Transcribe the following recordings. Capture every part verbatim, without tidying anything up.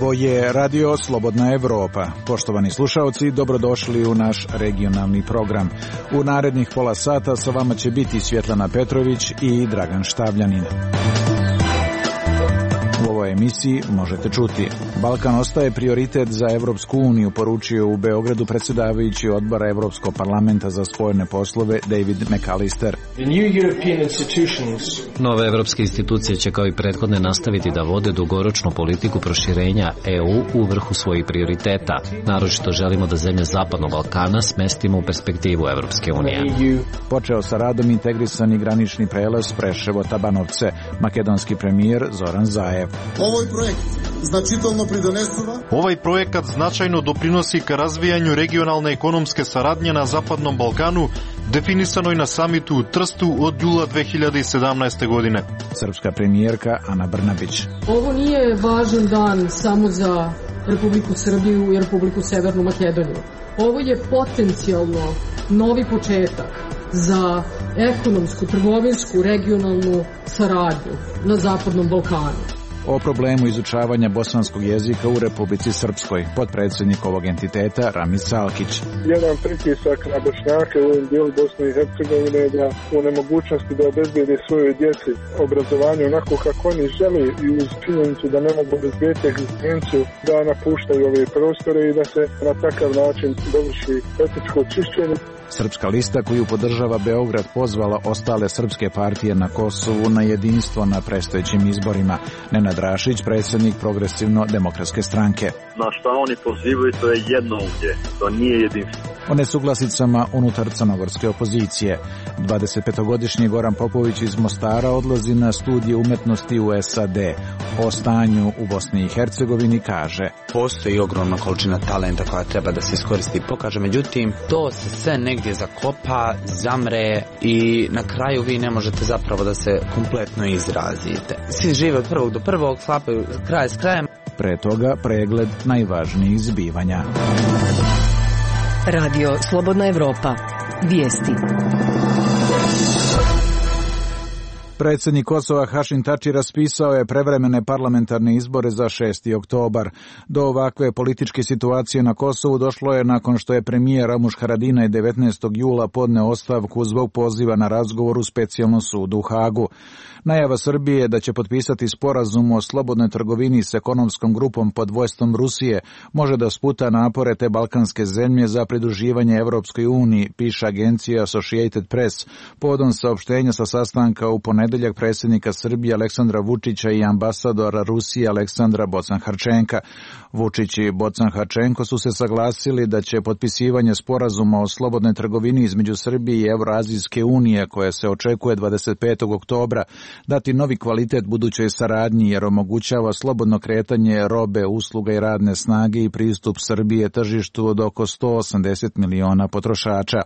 Ovo je Radio Slobodna Evropa. Poštovani slušaoci, dobrodošli u naš regionalni program. U narednih pola sata sa vama će biti Svjetlana Petrović i Dragan Štavljanin. U ovoj emisiji možete čuti: Balkan ostaje prioritet za Evropsku uniju, poručio u Beogradu predsjedavajući odbora Evropskog parlamenta za spoljne poslove David McAllister. Nove evropske institucije će kao i prethodne nastaviti da vode dugoročnu politiku proširenja E U u vrhu svojih prioriteta. Naročito želimo da zemlje Zapadnog Balkana smestimo u perspektivu Evropske unije. Počeo sa radom integrisani granični prelaz Preševo-Tabanovce, makedonski premijer Zoran Zaev. Ovaj projekt značajno pridonesува. Ovaj projekat značajno doprinosi ka razvijanju regionalne ekonomske saradnje na Zapadnom Balkanu, definisanoj na samitu u Trstu od jula dve hiljade sedamnaeste. godine. Srpska premijerka Ana Brnabić. Ovo nije važan dan samo za Republiku Srbiju i Republiku Severnu Makedoniju. Ovo je potencijalno novi početak za ekonomsku, trgovinsku, regionalnu saradnju na Zapadnom Balkanu. O problemu izučavanja bosanskog jezika u Republici Srpskoj, potpredsjednik ovog entiteta Ramiz Salkić. Jedan pritisak na Bošnjake u ovom dijelu Bosne i Hercegovine je da u nemogućnosti da obezbede svojoj djeci obrazovanje onako kako oni žele i uz činjenicu da ne mogu obezbediti egzistenciju, da napuštaju ove prostore i da se na takav način dovrši etničko čišćenje. Srpska lista koju podržava Beograd pozvala ostale srpske partije na Kosovu na jedinstvo na predstojećim izborima. Nenad Rašić, predsjednik Progresivno-demokratske stranke. Na šta oni pozivaju, to je jednoumlje, to nije jedinstvo. O nesuglasicama unutar crnogorske opozicije. dvadesetpetogodišnji Goran Popović iz Mostara odlazi na studije umetnosti u S A D. O stanju u Bosni i Hercegovini kaže: postoji ogromna količina talenta koja treba da se iskoristi i pokaže, međutim to se sve negdje zakopa, zamre i na kraju vi ne možete zapravo da se kompletno izrazite. Svi žive od prvog do prvog, sklapaju kraj s krajem. Pre toga pregled najvažnijih zbivanja. Radio Slobodna Evropa. Vijesti. Predsjednik Kosova Hašim Tači raspisao je prevremene parlamentarne izbore za šesti oktobar. Do ovakve političke situacije na Kosovu došlo je nakon što je premijer Ramuš Haradinaj devetnaestog jula podneo ostavku zbog poziva na razgovor u specijalnom sudu u Hagu. Najava Srbije da će potpisati sporazum o slobodnoj trgovini s ekonomskom grupom pod vodstvom Rusije može da sputa napore te balkanske zemlje za pridruživanje Evropskoj uniji, piše agencija Associated Press povodom saopštenja sa sastanka u ponedeljak predsjednika Srbije Aleksandra Vučića i ambasadora Rusije Aleksandra Bocan-Harčenka. Vučić i Bocan-Harčenko su se saglasili da će potpisivanje sporazuma o slobodnoj trgovini između Srbije i Evroazijske unije, koje se očekuje dvadeset petog oktobra, dati novi kvalitet budućoj saradnji jer omogućava slobodno kretanje robe, usluga i radne snage i pristup Srbije tržištu od oko sto osamdeset miliona potrošača.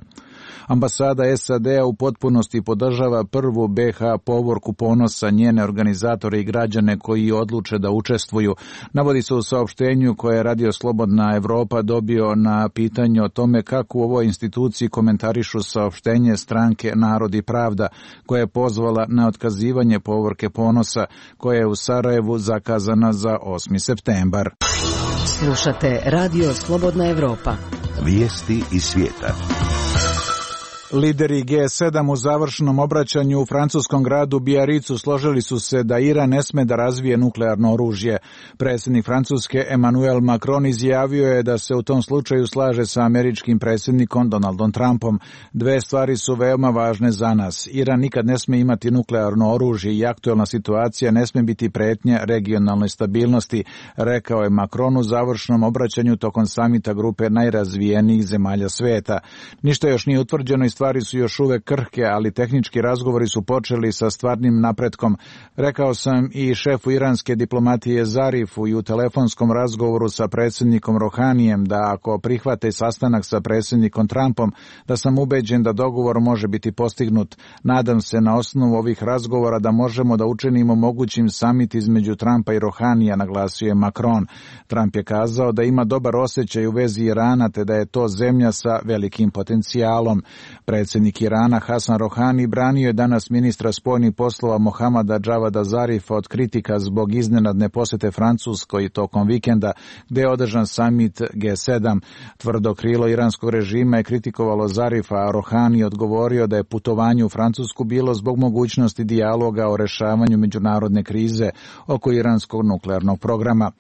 Ambasada S A D-a u potpunosti podržava prvu B H povorku ponosa, njene organizatore i građane koji odluče da učestvuju. Navodi se u saopštenju koje je Radio Slobodna Evropa dobio na pitanje o tome kako u ovoj instituciji komentarišu saopštenje stranke Narod i pravda, koja je pozvala na otkazivanje povorke ponosa, koja je u Sarajevu zakazana za osmi septembar. Slušate Radio Slobodna Evropa. Vijesti iz svijeta. Lideri G sedam u završnom obraćanju u francuskom gradu Biaricu složili su se da Iran ne sme da razvije nuklearno oružje. Predsjednik Francuske Emmanuel Macron izjavio je da se u tom slučaju slaže sa američkim predsjednikom Donaldom Trumpom. Dve stvari su veoma važne za nas. Iran nikad ne sme imati nuklearno oružje i aktuelna situacija ne sme biti pretnja regionalnoj stabilnosti, rekao je Macron u završnom obraćanju tokom samita grupe najrazvijenijih zemalja sveta. Ništa još nije utvrđeno i stvari su još uvek krhke, ali tehnički razgovori su počeli sa stvarnim napretkom. Rekao sam i šefu iranske diplomatije Zarifu i u telefonskom razgovoru sa predsjednikom Rohanijem da ako prihvate sastanak sa predsjednikom Trumpom, da sam ubeđen da dogovor može biti postignut. Nadam se na osnovu ovih razgovora da možemo da učinimo mogućim samit između Trumpa i Rohanija, naglasio je Macron. Trump je kazao da ima dobar osjećaj u vezi Irana te da je to zemlja sa velikim potencijalom. Predsjednik Irana Hasan Rohani branio je danas ministra spoljnih poslova Mohamada Javada Zarifa od kritika zbog iznenadne posjete Francuskoj tokom vikenda gdje je održan samit G sedam. Tvrdo krilo iranskog režima je kritikovalo Zarifa, a Rohani odgovorio da je putovanje u Francusku bilo zbog mogućnosti dijaloga o rešavanju međunarodne krize oko iranskog nuklearnog programa.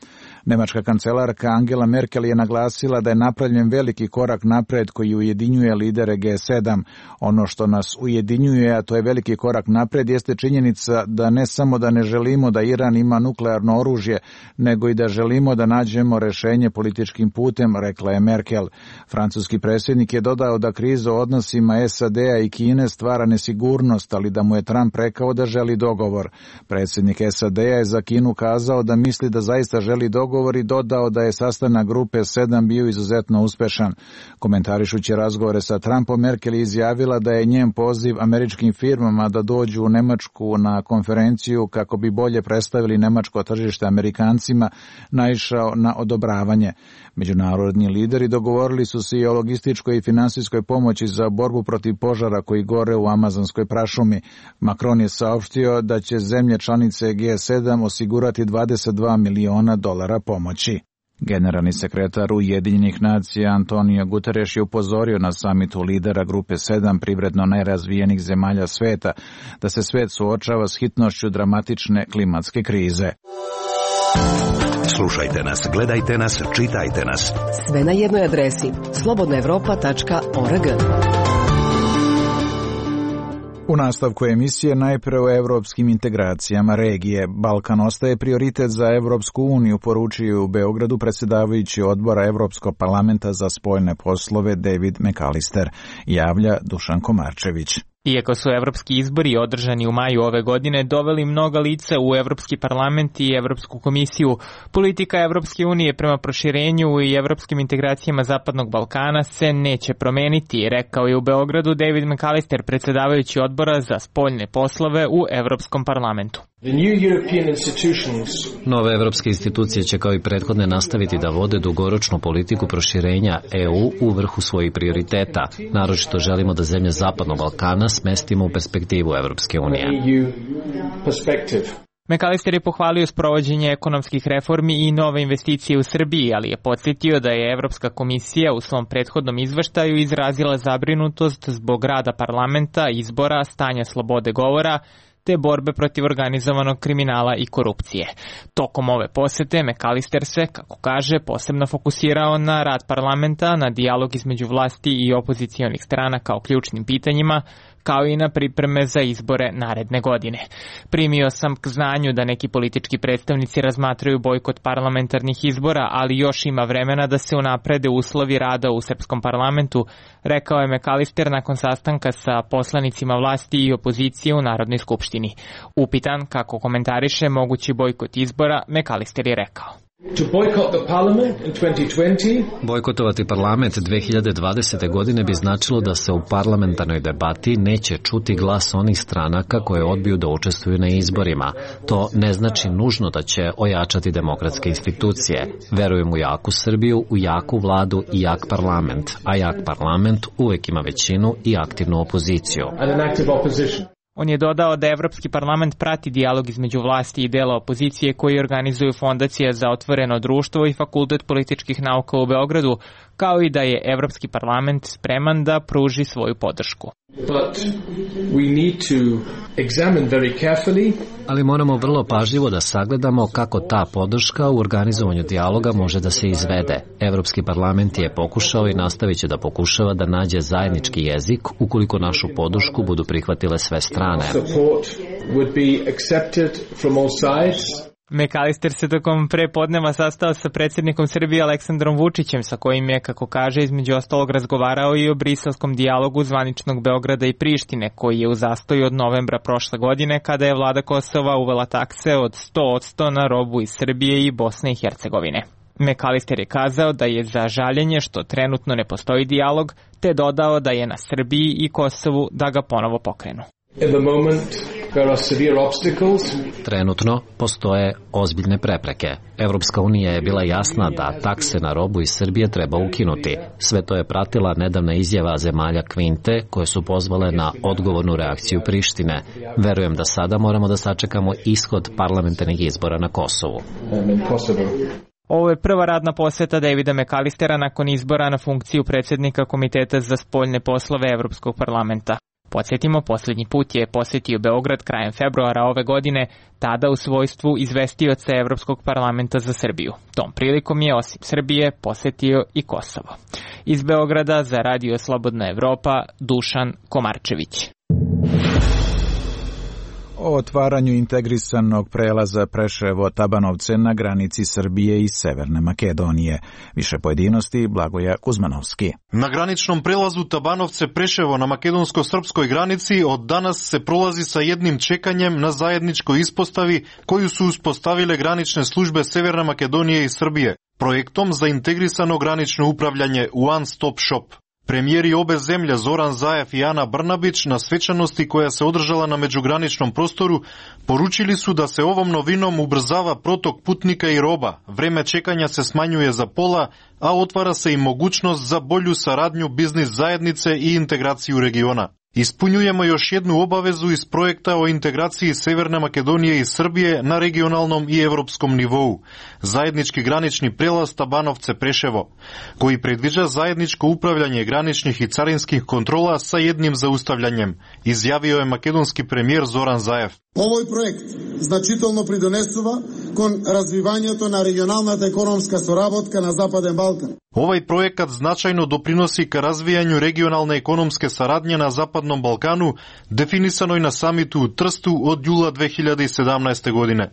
Nemačka kancelarka Angela Merkel je naglasila da je napravljen veliki korak napred koji ujedinjuje lidere G sedam. Ono što nas ujedinjuje, a to je veliki korak napred, jeste činjenica da ne samo da ne želimo da Iran ima nuklearno oružje, nego i da želimo da nađemo rešenje političkim putem, rekla je Merkel. Francuski predsjednik je dodao da kriza u odnosima S A D-a i Kine stvara nesigurnost, ali da mu je Trump rekao da želi dogovor. Predsjednik S A D-a je za Kinu kazao da misli da zaista želi dogovor i dodao da je sastanak grupe sedam bio izuzetno uspešan. Komentarišući razgovore sa Trumpom, Merkel je izjavila da je njen poziv američkim firmama da dođu u Nemačku na konferenciju kako bi bolje predstavili nemačko tržište Amerikancima naišao na odobravanje. Međunarodni lideri dogovorili su se i o logističkoj i finansijskoj pomoći za borbu protiv požara koji gore u amazonskoj prašumi. Macron je saopštio da će zemlje članice G sedam osigurati dvadeset dva miliona dolara pomoći. Generalni sekretar Ujedinjenih nacija Antonio Guterres je upozorio na samitu lidera grupe sedam privredno najrazvijenih zemalja sveta da se svet suočava s hitnošću dramatične klimatske krize. Slušajte nas, gledajte nas, čitajte nas. Sve na jednoj adresi slobodna evropa tačka org. U nastavku emisije najpre o evropskim integracijama regije. Balkan ostaje prioritet za Evropsku uniju, poručio u Beogradu predsjedavajući odbora Evropskog parlamenta za spoljne poslove David McAllister, javlja Dušan Komarčević. Iako su evropski izbori održani u maju ove godine doveli mnoga lica u Evropski parlament i Evropsku komisiju, politika Evropske unije prema proširenju i evropskim integracijama Zapadnog Balkana se neće promeniti, rekao je u Beogradu David McAllister, predsjedavajući odbora za spoljne poslove u Evropskom parlamentu. Nove evropske institucije će kao i prethodne nastaviti da vode dugoročnu politiku proširenja E U u vrhu svojih prioriteta. Naročito želimo da zemlje Zapadnog Balkana smestimo u perspektivu Evropske unije. McAllister je pohvalio sprovođenje ekonomskih reformi i nove investicije u Srbiji, ali je podsjetio da je Evropska komisija u svom prethodnom izveštaju izrazila zabrinutost zbog rada parlamenta, izbora, stanja slobode govora, te borbe protiv organizovanog kriminala i korupcije. Tokom ove posete McAllister se, kako kaže, posebno fokusirao na rad parlamenta, na dijalog između vlasti i opozicionih strana kao ključnim pitanjima, kao i na pripreme za izbore naredne godine. Primio sam k znanju da neki politički predstavnici razmatraju bojkot parlamentarnih izbora, ali još ima vremena da se unaprede uslovi rada u srpskom parlamentu, rekao je McAllister nakon sastanka sa poslanicima vlasti i opozicije u Narodnoj skupštini. Upitan kako komentariše mogući bojkot izbora, McAllister je rekao: Bojkotovati parlament dve hiljade dvadesete. godine bi značilo da se u parlamentarnoj debati neće čuti glas onih stranaka koje odbiju da učestvuju na izborima. To ne znači nužno da će ojačati demokratske institucije. Verujem u jaku Srbiju, u jaku vladu i jak parlament, a jak parlament uvek ima većinu i aktivnu opoziciju. On je dodao da Evropski parlament prati dijalog između vlasti i dela opozicije koji organizuju Fondacija za otvoreno društvo i Fakultet političkih nauka u Beogradu, kao i da je Evropski parlament spreman da pruži svoju podršku. Ali moramo vrlo pažljivo da sagledamo kako ta podrška u organizovanju dijaloga može da se izvede. Evropski parlament je pokušao i nastavit će da pokušava da nađe zajednički jezik ukoliko našu podršku budu prihvatile sve strane. McAllister se tokom prepodneva sastao sa predsjednikom Srbije Aleksandrom Vučićem, sa kojim je, kako kaže, između ostalog razgovarao i o briselskom dijalogu zvaničnog Beograda i Prištine, koji je u zastoju od novembra prošle godine, kada je vlada Kosova uvela takse od sto posto na robu iz Srbije i Bosne i Hercegovine. McAllister je kazao da je za žaljenje što trenutno ne postoji dijalog, te dodao da je na Srbiji i Kosovu da ga ponovo pokrenu. Trenutno postoje ozbiljne prepreke. Evropska unija je bila jasna da takse na robu iz Srbije treba ukinuti. Sve to je pratila nedavna izjava zemalja Kvinte koje su pozvale na odgovornu reakciju Prištine. Verujem da sada moramo da sačekamo ishod parlamentarnih izbora na Kosovu. Ovo je prva radna poseta Davida McAllistera nakon izbora na funkciju predsjednika Komiteta za spoljne poslove Evropskog parlamenta. Podsjetimo, posljednji put je posjetio Beograd krajem februara ove godine, tada u svojstvu izvestioca Evropskog parlamenta za Srbiju. Tom prilikom je osim Srbije posjetio i Kosovo. Iz Beograda za Radio Slobodna Evropa, Dušan Komarčević. O otvaranju integrisanog prelaza Preševo-Tabanovce na granici Srbije i Severne Makedonije. Više pojedinosti Blagoja Kuzmanovski. Na graničnom prelazu Tabanovce-Preševo na makedonsko-srpskoj granici od danas se prolazi sa jednim čekanjem na zajedničkoj ispostavi koju su uspostavile granične službe Severne Makedonije i Srbije, projektom za integrisano granično upravljanje One Stop Shop. Premijeri obe zemlje Zoran Zaev i Ana Brnabić na svečanosti koja se održala na međugraničnom prostoru poručili su da se ovom novinom ubrzava protok putnika i roba, vreme čekanja se smanjuje za pola, a otvara se i mogućnost za bolju saradnju biznis zajednice i integraciju regiona. Ispunjujemo još jednu obavezu iz projekta o integraciji Severne Makedonije i Srbije na regionalnom i evropskom nivou, zajednički granični prelaz Tabanovce-Preševo, koji predviđa zajedničko upravljanje graničnih i carinskih kontrola sa jednim zaustavljanjem, izjavio je makedonski premijer Zoran Zaev. Овој проект значително придонесува кон развивањето на регионалната економска соработка на Западен Балкан. Ovaj projekat značajno doprinosi ka razvijanju regionalne ekonomske saradnje na Zapadnom Balkanu, definisanoj na samitu u Trstu od jula dve hiljade sedamnaeste. godine.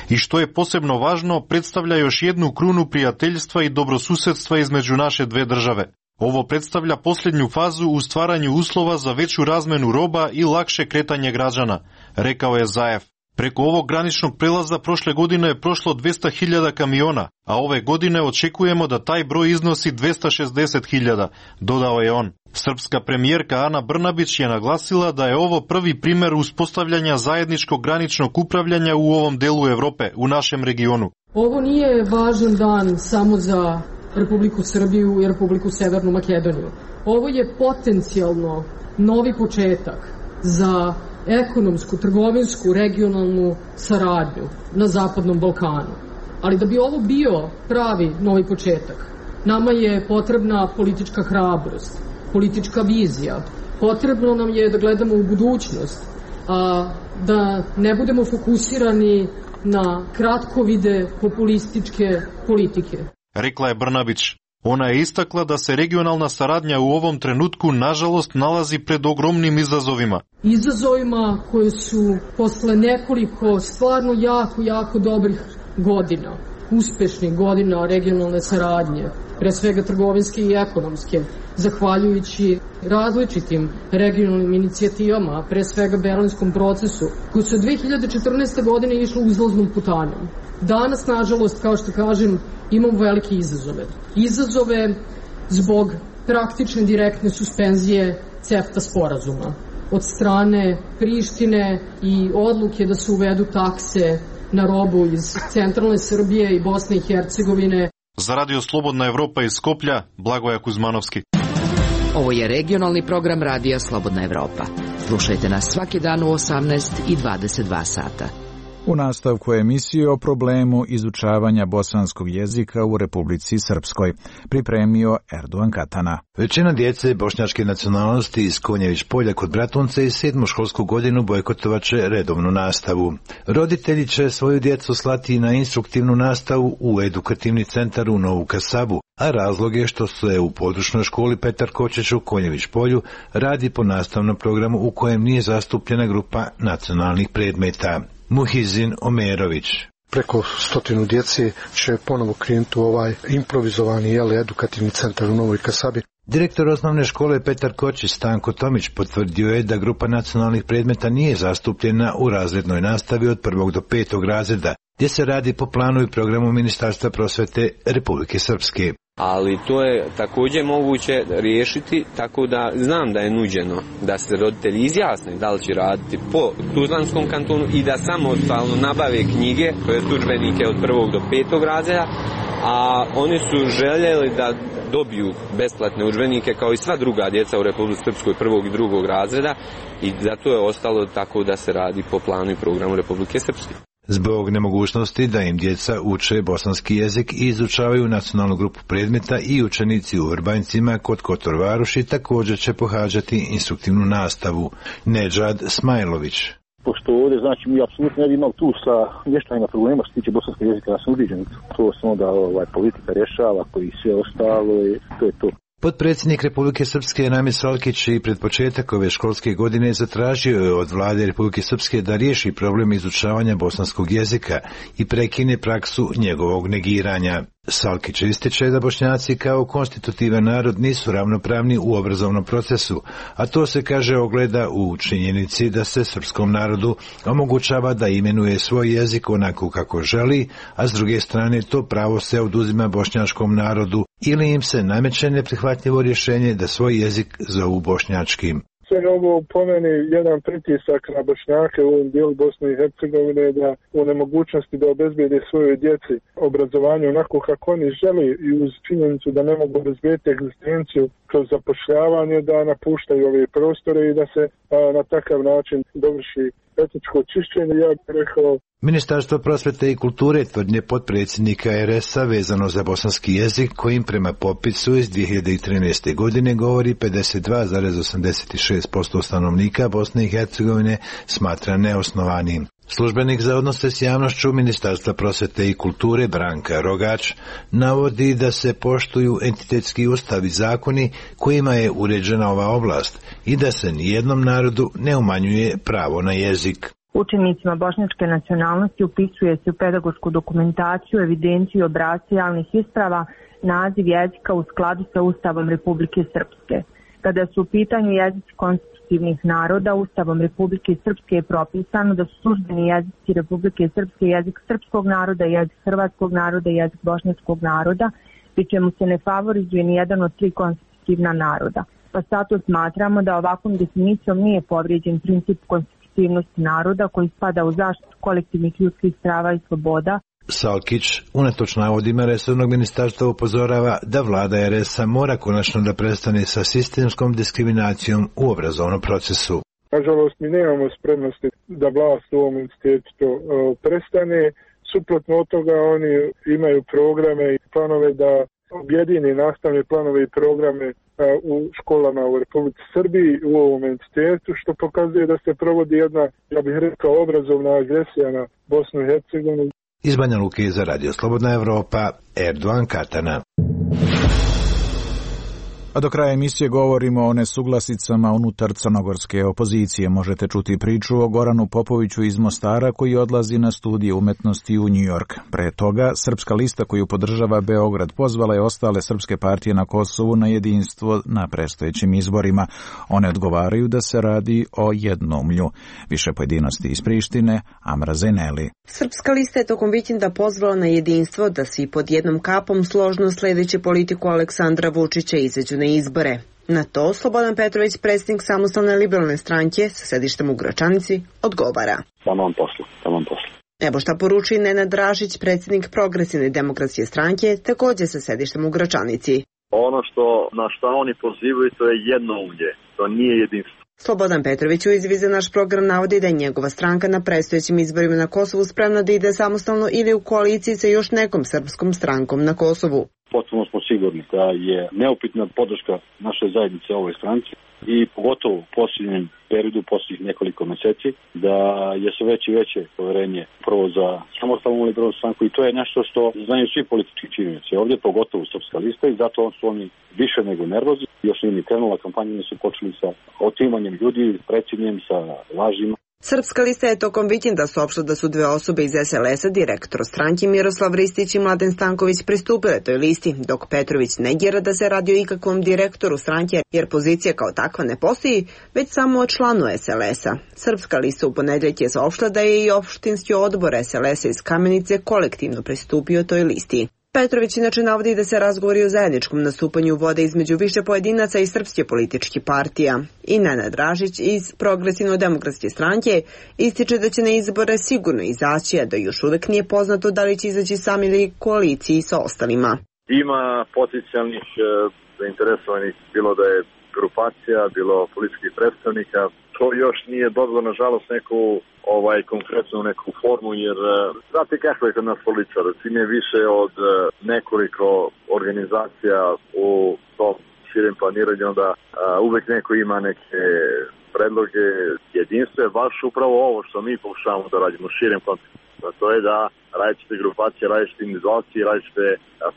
I što je posebno važno, predstavlja još jednu krunu prijateljstva i dobrosusedstva između naše dve države. Ovo predstavlja posljednju fazu u stvaranju uslova za veću razmenu roba i lakše kretanje građana, rekao je Zaev. Preko ovog graničnog prelaza prošle godine je prošlo dvesta hiljada kamiona, a ove godine očekujemo da taj broj iznosi dvesta šezdeset hiljada, dodao je on. Srpska premijerka Ana Brnabić je naglasila da je ovo prvi primer uspostavljanja zajedničkog graničnog upravljanja u ovom delu Evrope, u našem regionu. Ovo nije važan dan samo za Republiku Srbiju i Republiku Severnu Makedoniju. Ovo je potencijalno novi početak za ekonomsku, trgovinsku, regionalnu saradnju na Zapadnom Balkanu. Ali da bi ovo bio pravi novi početak, nama je potrebna politička hrabrost, politička vizija. Potrebno nam je da gledamo u budućnost, a da ne budemo fokusirani na kratkovide populističke politike. Rekla je Brnabić. Ona je istakla da se regionalna saradnja u ovom trenutku nažalost nalazi pred ogromnim izazovima. Izazovima koje su posle nekoliko stvarno jako, jako dobrih godina, uspešnih godina regionalne saradnje, pre svega trgovinske i ekonomske, zahvaljujući različitim regionalnim inicijativama, pre svega Berlinskom procesu, koji su od dve hiljade četrnaeste. godine išli uzlaznom putanjom. Danas, nažalost, kao što kažem, imamo velike izazove. Izazove zbog praktične direktne suspenzije CEFTA sporazuma od strane Prištine i odluke da se uvedu takse na robu iz centralne Srbije i Bosne i Hercegovine. Za Radio Slobodna Evropa iz Skoplja, Blagoja Kuzmanovski. Ovo je regionalni program Radija Slobodna Evropa. Slušajte nas svaki dan u osamnaest i dvadeset dva sata. U nastavku emisije o problemu izučavanja bosanskog jezika u Republici Srpskoj, pripremio Erdogan Katana. Većina djece bošnjačke nacionalnosti iz Konjević polja kod Bratunce i sedmu školsku godinu bojkotovaće redovnu nastavu. Roditelji će svoju djecu slati na instruktivnu nastavu u edukativni centar u Novu Kasabu, a razlog je što se u područnoj školi Petar Kočić u Konjević polju radi po nastavnom programu u kojem nije zastupljena grupa nacionalnih predmeta. Muhizin Omerović. Preko stotinu djece će ponovo krenuti u ovaj improvizovani jeli, edukativni centar u Novoj Kasabi. Direktor osnovne škole Petar Kočić Stanko Tomić potvrdio je da grupa nacionalnih predmeta nije zastupljena u razrednoj nastavi od prvog do petog razreda, gdje se radi po planu i programu Ministarstva prosvete Republike Srpske. Ali to je također moguće riješiti tako da znam da je nuđeno da se roditelji izjasne da li će raditi po Tuzlanskom kantonu i da samostalno nabave knjige, to je udžbenike od prvog do petog razreda, a oni su željeli da dobiju besplatne udžbenike kao i sva druga djeca u Republici Srpskoj prvog i drugog razreda i zato je ostalo tako da se radi po planu i programu Republike Srpske. Zbog nemogućnosti da im djeca uče bosanski jezik i izučavaju nacionalnu grupu predmeta i učenici u Vrbanjcima kod Kotor Varoši također će pohađati instruktivnu nastavu. Nedžad Smajlović. Pošto ovdje, znači, mi apsolutno ne bi imali tu sa mještanjima problema što se tiče bosanskog jezika, ja sam ubiđen. To se onda ovaj, politika rješava, koji sve ostalo i to je to. Potpredsjednik Republike Srpske Namir Salkić i pred početak ove školske godine zatražio je od vlade Republike Srpske da riješi problem izučavanja bosanskog jezika i prekine praksu njegovog negiranja. Salkić ističe da Bošnjaci kao konstitutivan narod nisu ravnopravni u obrazovnom procesu, a to se, kaže, ogleda u činjenici da se srpskom narodu omogućava da imenuje svoj jezik onako kako želi, a s druge strane to pravo se oduzima bošnjačkom narodu ili im se nameće neprihvatljivo rješenje da svoj jezik zovu bošnjačkim. Sve ovo po meni jedan pritisak na Bošnjake u ovom dijelu Bosne i Hercegovine da u nemogućnosti da obezbijede svojoj djeci obrazovanje onako kako oni želi i uz činjenicu da ne mogu obezbijeti egzistenciju kroz zapošljavanje, da napuštaju ove prostore i da se a, na takav način dovrši etničko čišćenje, ja bih rekao. Ministarstvo prosvete i kulture tvrdnje potpredsjednika er es a vezano za bosanski jezik, kojim prema popisu iz dvije hiljade trinaeste. godine govori pedeset dva zarez osamdeset šest posto stanovnika Bosne i Hercegovine, smatra neosnovanim. Službenik za odnose s javnošću Ministarstva prosvete i kulture Branka Rogač navodi da se poštuju entitetski ustav i zakoni kojima je uređena ova oblast i da se nijednom narodu ne umanjuje pravo na jezik. Učenicima bošnjačke nacionalnosti upisuje se u pedagošku dokumentaciju, evidenciju i obrasce javnih isprava naziv jezika u skladu sa Ustavom Republike Srpske. Kada su u pitanju jezici konstitutivnih naroda, Ustavom Republike Srpske je propisano da su službeni jezici Republike Srpske jezik srpskog naroda, jezik hrvatskog naroda i jezik bošnjačkog naroda, pri čemu se ne favorizuje ni jedan od tri konstitutivna naroda. Pa zato smatramo da ovakvom definicijom nije povrijeđen princip konstitutivnosti naroda koji spada u zaštitu kolektivnih ljudskih prava i sloboda. Salkić, unatoč navodima resornog ministarstva, upozorava da vlada er es a mora konačno da prestane sa sistemskom diskriminacijom u obrazovnom procesu. Nažalost, mi nemamo spremnosti da vlast u ovom institutu prestane. Suprotno od toga, oni imaju programe i planove da objedini nastavne planove i programe u školama u Republici Srbiji u ovom entitetu, što pokazuje da se provodi jedna, ja bih rekao, obrazovna agresija na Bosnu i Hercegovinu. Iz Banja Luke za Radio Slobodna Evropa, Erdogan Katana. A do kraja emisije govorimo o nesuglasicama unutar crnogorske opozicije. Možete čuti priču o Goranu Popoviću iz Mostara koji odlazi na studije umetnosti u New York. Pre toga, Srpska lista koju podržava Beograd pozvala je ostale srpske partije na Kosovu na jedinstvo na predstojećim izborima. One odgovaraju da se radi o jednoumlju. Više pojedinosti iz Prištine, Amra Zeneli. Srpska lista je tokom vikenda pozvala na jedinstvo da svi pod jednom kapom složno sledeći politiku Aleksandra Vučića izađu na izbore. Na to Slobodan Petrović, predsjednik Samostalne liberalne stranke sa sedištem u Gračanici, odgovara. Tamam poslu, tamam poslu. Evo šta poruči Nenad Dražić, predsjednik Progresivne demokratske stranke, također sa sedištem u Gračanici. Ono što na šta oni pozivaju, to je jednoumlje, to nije jedinstvo. Slobodan Petrović u izjavi za naš program navodi da je njegova stranka na predstojećim izborima na Kosovu spremna da ide samostalno ili u koaliciji sa još nekom srpskom strankom na Kosovu. Potpuno smo sigurni da je neupitna podrška naše zajednice ovoj stranci i pogotovo u posljednjem periodu, posljednjih nekoliko mjeseci, da je sve veće i veće poverenje prvo za samostalnu liberalnu stranku i to je nešto što znaju svi politički činioci. Ovdje pogotovo Srpska lista i zato su oni više nego nervozni. Još nije ni krenula kampanja, oni su počeli sa otimanjem ljudi, predsjednjem, sa lažima. Srpska lista je tokom vikenda saopštila da su dve osobe iz es el es a, direktor stranke Miroslav Ristić i Mladen Stanković, pristupile toj listi, dok Petrović negira da se radi o ikakvom direktoru stranke, jer pozicija kao takva ne postoji, već samo o članu es el es a. Srpska lista u ponedjeljak je saopštila da je i opštinski odbor es el es a iz Kamenice kolektivno pristupio toj listi. Petrović inače navodi da se razgovori o zajedničkom nastupanju vode između više pojedinaca i srpske političke partija. I Nenad Dražić iz Progresivno-demokratske stranke ističe da će na izbore sigurno izaći, a da još uvek nije poznato da li će izaći sam ili koaliciji sa ostalima. Ima potencijalnih e, zainteresovanih, bilo da je grupacija, bilo političkih predstavnika. To još nije dobilo, nažalost, neku ovaj konkretnu neku formu, jer znate kako je kod nas političara, čim je više od nekoliko organizacija u tom širem planiranju, onda a, uvek neko ima neke predloge. Jedinstvo je baš upravo ovo što mi pokušavamo da radimo u širem kontekstu. To je da različite grupacije, različite individualci, različite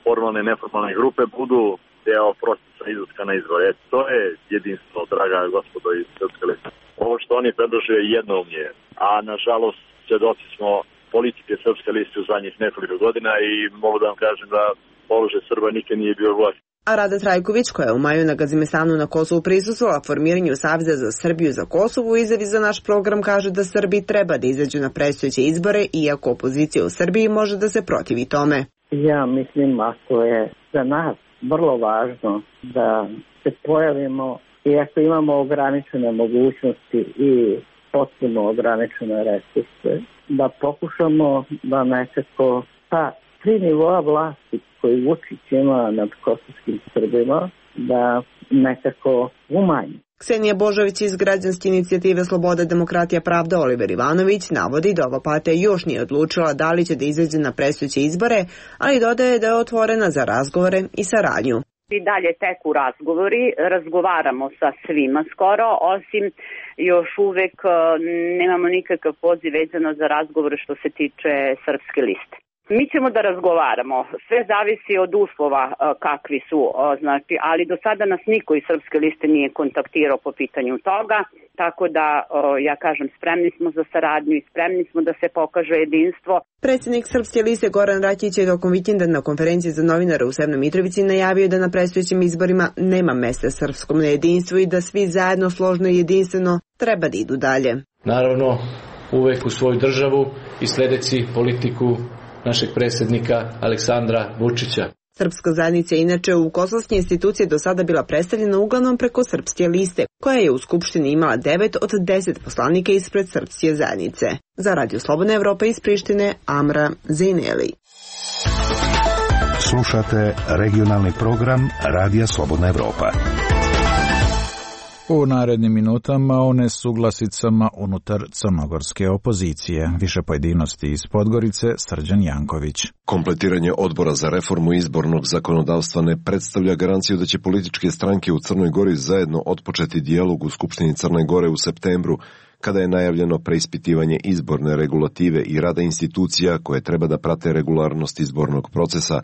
formalne i neformalne grupe budu deo procesa izlaska na izbore. To je jedinstvo, draga gospodo iz Srpske liste. Ovo što oni predlože je jednoumlje, a nažalost svedoci smo politike Srpske liste u zadnjih nekoliko godina i mogu da vam kažem da položaj Srba nikad nije bio gori. A Rada Trajković, koja je u maju na Gazimestanu na Kosovu prisustvovala formiranju Saveza za Srbiju za Kosovo, u izjavi za naš program kaže da Srbi treba da izađu na predstojeće izbore, iako opozicija u Srbiji može da se protivi tome. Ja mislim, ako je za nas vrlo važno da se pojavimo, iako imamo ograničene mogućnosti i potpuno ograničene resurse, da pokušamo da nekako ta tri nivoa vlasti koji Vučić ima nad kosovskim Srbima, da nekako umanji. Ksenija Božović iz građanske inicijative Sloboda, demokratija, pravda Oliver Ivanović navodi da ova partija još nije odlučila da li će da izađe na predstojeće izbore, ali dodaje da je otvorena za razgovore i saradnju. I dalje teku razgovori, razgovaramo sa svima skoro, osim još uvek nemamo nikakav poziv vezano za razgovore što se tiče Srpske liste. Mi ćemo da razgovaramo, sve zavisi od uslova kakvi su, znači, ali do sada nas niko iz Srpske liste nije kontaktirao po pitanju toga, tako da, ja kažem, spremni smo za saradnju i spremni smo da se pokaže jedinstvo. Predsjednik Srpske liste Goran Rakić je tokom vikenda na konferenciji za novinare u Severnoj Mitrovici najavio da na predstojećim izborima nema mesta srpskom nejedinstvu i da svi zajedno složno i jedinstveno treba da idu dalje. Naravno, uvek u svoju državu i sledeći politiku našeg predsjednika Aleksandra Vučića. Srpska zajednica je inače u kosovske institucije do sada bila predstavljena uglavnom preko Srpske liste, koja je u Skupštini imala devet od deset poslanika ispred Srpske zajednice. Za Radio Slobodna Evropa iz Prištine, Amra Zejneli. Slušate regionalni program Radija Slobodna Evropa. U narednim minutama o nesuglasicama unutar crnogorske opozicije. Više pojedinosti iz Podgorice, Srđan Janković. Kompletiranje odbora za reformu izbornog zakonodavstva ne predstavlja garanciju da će političke stranke u Crnoj Gori zajedno otpočeti dijalog u Skupštini Crne Gore u septembru, kada je najavljeno preispitivanje izborne regulative i rada institucija koje treba da prate regularnost izbornog procesa.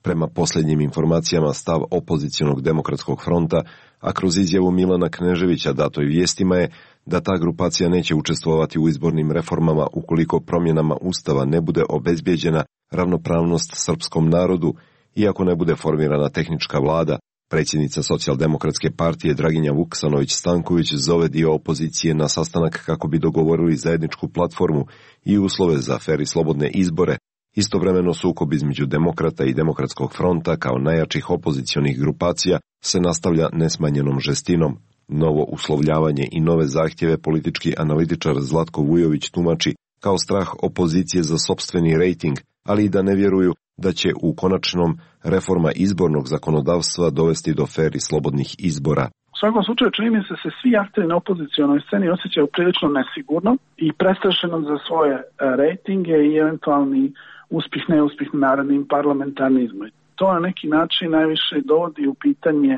Prema posljednjim informacijama, stav opozicionog demokratskog fronta, a kroz izjavu Milana Kneževića datoj vijestima je da ta grupacija neće učestvovati u izbornim reformama ukoliko promjenama Ustava ne bude obezbijeđena ravnopravnost srpskom narodu, iako ne bude formirana tehnička vlada. Predsjednica Socijaldemokratske partije Draginja Vuksanović-Stanković zove dio opozicije na sastanak kako bi dogovorili zajedničku platformu i uslove za fer i slobodne izbore. Istovremeno sukob između demokrata i demokratskog fronta kao najjačih opozicionih grupacija se nastavlja nesmanjenom žestinom. Novo uslovljavanje i nove zahtjeve politički analitičar Zlatko Vujović tumači kao strah opozicije za sopstveni rejting, ali i da ne vjeruju da će u konačnom reforma izbornog zakonodavstva dovesti do fer i slobodnih izbora. U svakom slučaju čini mi se se svi akteri na opozicionoj sceni osjećaju prilično nesigurno i prestrašeno za svoje rejtinge i eventualni uspjeh, neuspjeh na narednim parlamentarnim izborima. To na neki način najviše dovodi u pitanje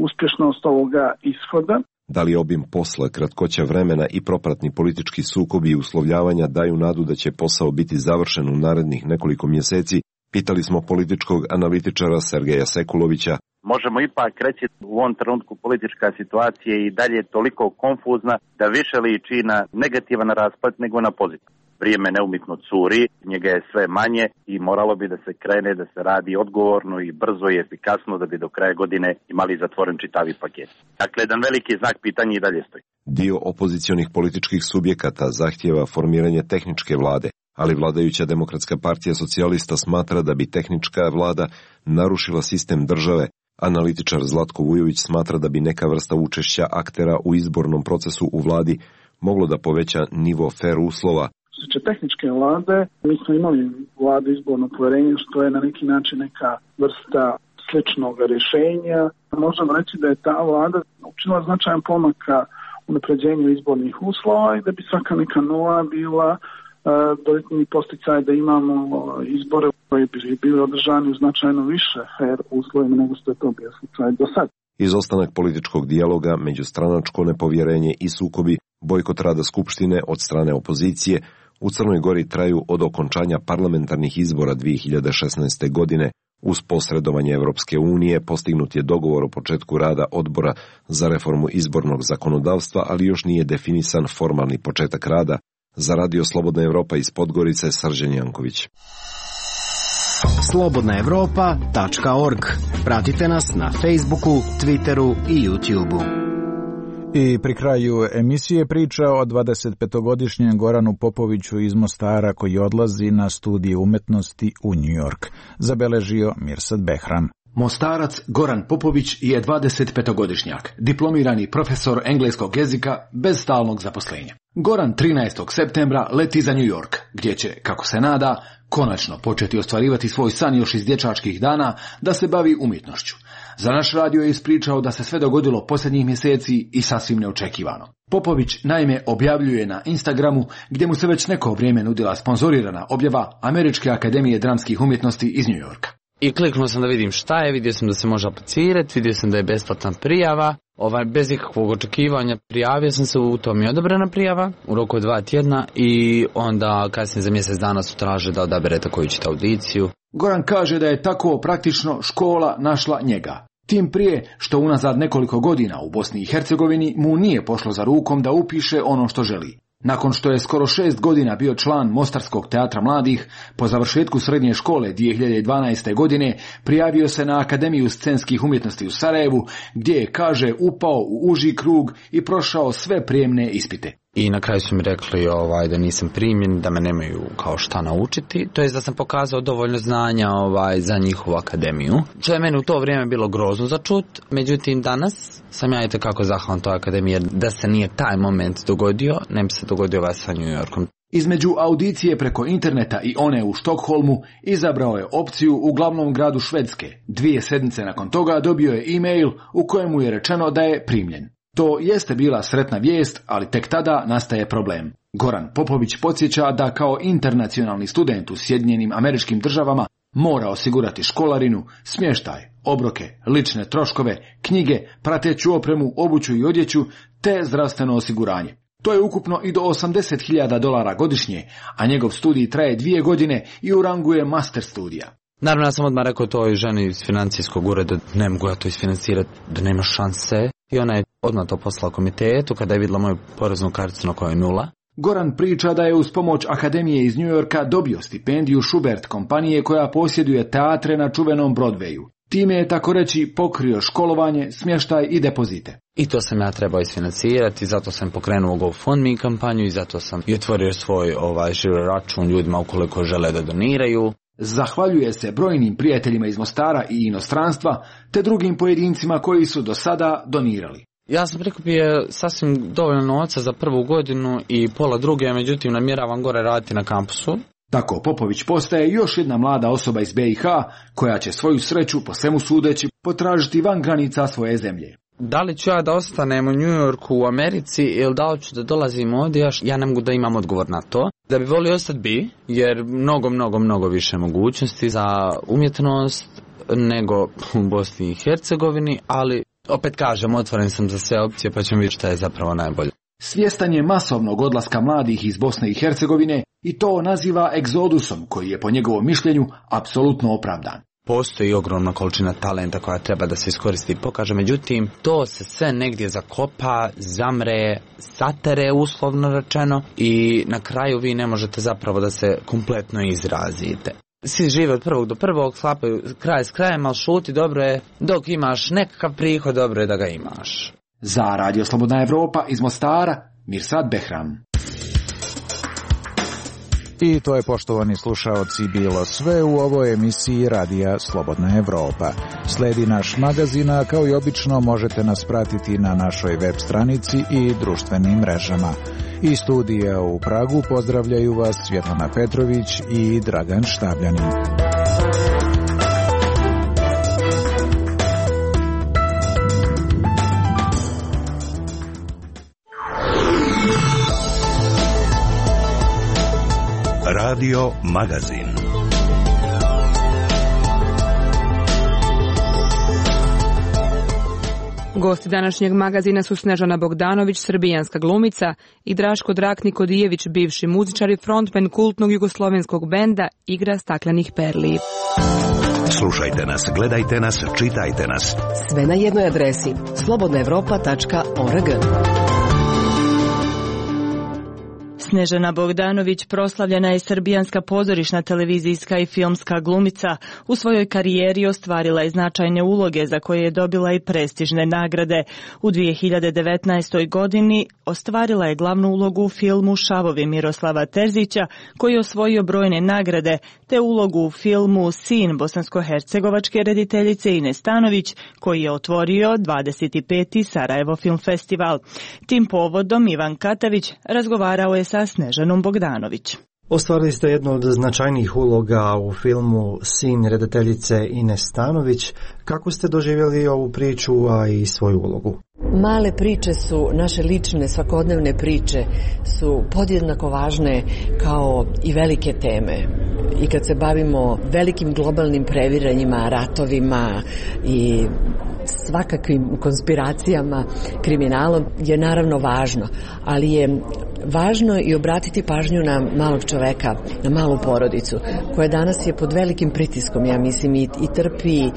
uspješnost ovoga ishoda. Da li obim posla, kratkoća vremena i propratni politički sukobi i uslovljavanja daju nadu da će posao biti završen u narednih nekoliko mjeseci, pitali smo političkog analitičara Sergeja Sekulovića. Možemo ipak reći u ovom trenutku politička situacija i dalje toliko konfuzna da više liči na negativan raspad nego na pozitivan. Vrijeme neumitno curi, njega je sve manje i moralo bi da se krene, da se radi odgovorno i brzo i efikasno da bi do kraja godine imali zatvoren čitavi paket. Dakle, jedan veliki znak pitanja i dalje stoji. Dio opozicionih političkih subjekata zahtijeva formiranje tehničke vlade, ali vladajuća Demokratska partija socijalista smatra da bi tehnička vlada narušila sistem države. Analitičar Zlatko Vujović smatra da bi neka vrsta učešća aktera u izbornom procesu u vladi moglo da poveća nivo fer uslova. Što se tiče tehničke vlade, mi smo imali vladu izborno poverenje, što je na neki način neka vrsta sličnog rješenja. Možemo reći da je ta vlada učinila značajan pomak ka unapređenju izbornih uslova i da bi svaka neka nova bila dodatni posticaj da imamo izbore koji bi bili održani u značajno više fer uslovima nego što je to bio slučaj do sad. Izostanak političkog dijaloga, međustranačko nepovjerenje i sukobi, bojkot rada Skupštine od strane opozicije u Crnoj Gori traju od okončanja parlamentarnih izbora dvije hiljade šesnaeste. godine. Uz posredovanje Evropske unije postignut je dogovor o početku rada odbora za reformu izbornog zakonodavstva, ali još nije definisan formalni početak rada. Za Radio Slobodna Evropa iz Podgorice, Srđan Janković. slobodna evropa tačka org. Pratite nas na Facebooku, Twitteru i YouTubeu. I pri kraju emisije priča o dvadesetpetogodišnjem Goranu Popoviću iz Mostara koji odlazi na studije umetnosti u New York. Zabeležio Mirsad Behram. Mostarac Goran Popović je dvadesetpetogodišnjak, diplomirani profesor engleskog jezika bez stalnog zaposlenja. Goran trinaestog septembra leti za New York, gdje će, kako se nada, konačno početi ostvarivati svoj san još iz dječačkih dana da se bavi umjetnošću. Za naš radio je ispričao da se sve dogodilo posljednjih mjeseci i sasvim neočekivano. Popović naime objavljuje na Instagramu, gdje mu se već neko vrijeme nudila sponzorirana objava Američke akademije dramskih umjetnosti iz New Yorka. I kliknuo sam da vidim šta je, vidio sam da se može aplicirati, vidio sam da je besplatna prijava, ovaj, bez ikakvog očekivanja prijavio sam se, u tom je odobrena prijava u roku od dva tjedna i onda kasnije za mjesec dana su traže da odaberete koju ćete audiciju. Goran kaže da je tako praktično škola našla njega. Tim prije što unazad nekoliko godina u Bosni i Hercegovini mu nije pošlo za rukom da upiše ono što želi. Nakon što je skoro šest godina bio član Mostarskog teatra mladih, po završetku srednje škole dvije hiljade dvanaeste. godine prijavio se na Akademiju scenskih umjetnosti u Sarajevu, gdje je, kaže, upao u uži krug i prošao sve prijemne ispite. I na kraju su mi rekli ovaj, da nisam primjen, da me nemaju kao šta naučiti, to je da sam pokazao dovoljno znanja ovaj, za njihovu akademiju. Što je meni u to vrijeme bilo grozno za čut, međutim danas sam ja itekako zahvalan toj akademiji, jer da se nije taj moment dogodio, ne bi se dogodio ovaj sa New Yorkom. Između audicije preko interneta i one u Štokholmu izabrao je opciju u glavnom gradu Švedske. Dvije sedmice nakon toga dobio je e-mail u kojemu je rečeno da je primljen. To jeste bila sretna vijest, ali tek tada nastaje problem. Goran Popović podsjeća da kao internacionalni student u Sjedinjenim Američkim Državama mora osigurati školarinu, smještaj, obroke, lične troškove, knjige, prateću opremu, obuću i odjeću, te zdravstveno osiguranje. To je ukupno i do osamdeset hiljada dolara godišnje, a njegov studij traje dvije godine i u rangu je master studija. Naravno, ja sam odmah rekao toj ženi iz financijskog ureda, ne mogu ja to isfinancirati, da nema šanse. I ona je odmah to poslala komitetu kada je vidjela moju poreznu karticu na kojoj je nula. Goran priča da je uz pomoć Akademije iz New Yorka dobio stipendiju Schubert kompanije koja posjeduje teatre na čuvenom Broadwayu. Time je, tako reći, pokrio školovanje, smještaj i depozite. I to sam ja trebao isfinancirati, zato sam pokrenuo GoFundMe kampanju i zato sam i otvorio svoj ovaj, žiro račun ljudima ukoliko žele da doniraju. Zahvaljuje se brojnim prijateljima iz Mostara i inostranstva, te drugim pojedincima koji su do sada donirali. Ja sam prikupio sasvim dovoljno novca za prvu godinu i pola druge, međutim namjeravam gore raditi na kampusu. Tako Popović postaje još jedna mlada osoba iz be i ha koja će svoju sreću, po svemu sudeći, potražiti van granica svoje zemlje. Da li ću ja da ostanem u New Yorku u Americi ili da li ću da dolazim ovdje, ja ne mogu da imam odgovor na to. Da bi volio ostati bi, jer mnogo, mnogo, mnogo više mogućnosti za umjetnost nego u Bosni i Hercegovini, ali opet kažem, otvoren sam za sve opcije pa ćemo vidjeti šta je zapravo najbolje. Svjestan je masovnog odlaska mladih iz Bosne i Hercegovine i to naziva egzodusom koji je po njegovom mišljenju apsolutno opravdan. Postoji ogromna količina talenta koja treba da se iskoristi i pokaže, međutim, to se sve negdje zakopa, zamre, satere uslovno rečeno i na kraju vi ne možete zapravo da se kompletno izrazite. Svi žive od prvog do prvog, sklapaju kraj s krajem, ali šuti dobro je, dok imaš nekakav prihod, dobro je da ga imaš. Za Radio Slobodna Evropa iz Mostara, Mirsad Behram. I to je, poštovani slušaoci, bilo sve u ovoj emisiji Radija Slobodna Evropa. Sledi naš magazin, a kao i obično možete nas pratiti na našoj web stranici i društvenim mrežama. Iz studija u Pragu pozdravljaju vas Svjetlana Petrović i Dragan Štabljanin. Radio Magazin. Gosti današnjeg magazina su Snežana Bogdanović, srbijanska glumica, i Draško Drak-Nikodijević, bivši muzičar i frontmen kultnog jugoslovenskog benda Igra staklenih perli. Slušajte nas, gledajte nas, čitajte nas. Sve na jednoj adresi slobodna evropa tačka org. Snežana Bogdanović proslavljena je srbijanska pozorišna, televizijska i filmska glumica. U svojoj karijeri ostvarila je značajne uloge za koje je dobila i prestižne nagrade. U dvije hiljade devetnaestoj. godini ostvarila je glavnu ulogu u filmu Šavovi Miroslava Terzića, koji je osvojio brojne nagrade, te ulogu u filmu Sin bosansko-hercegovačke rediteljice Ine Stanović, koji je otvorio dvadeset peti Sarajevo Film Festival. Tim povodom Ivan Katavić razgovarao je sa Snežanom Bogdanović. Ostvarili ste jednu od značajnijih uloga u filmu Sin rediteljice Ine Stanović. Kako ste doživjeli ovu priču, a i svoju ulogu? Male priče su, naše lične, svakodnevne priče su podjednako važne kao i velike teme. I kad se bavimo velikim globalnim previranjima, ratovima i svakakvim konspiracijama, kriminalom, je naravno važno, ali je važno i obratiti pažnju na malog čoveka, na malu porodicu, koja danas je pod velikim pritiskom, ja mislim, i, i trpi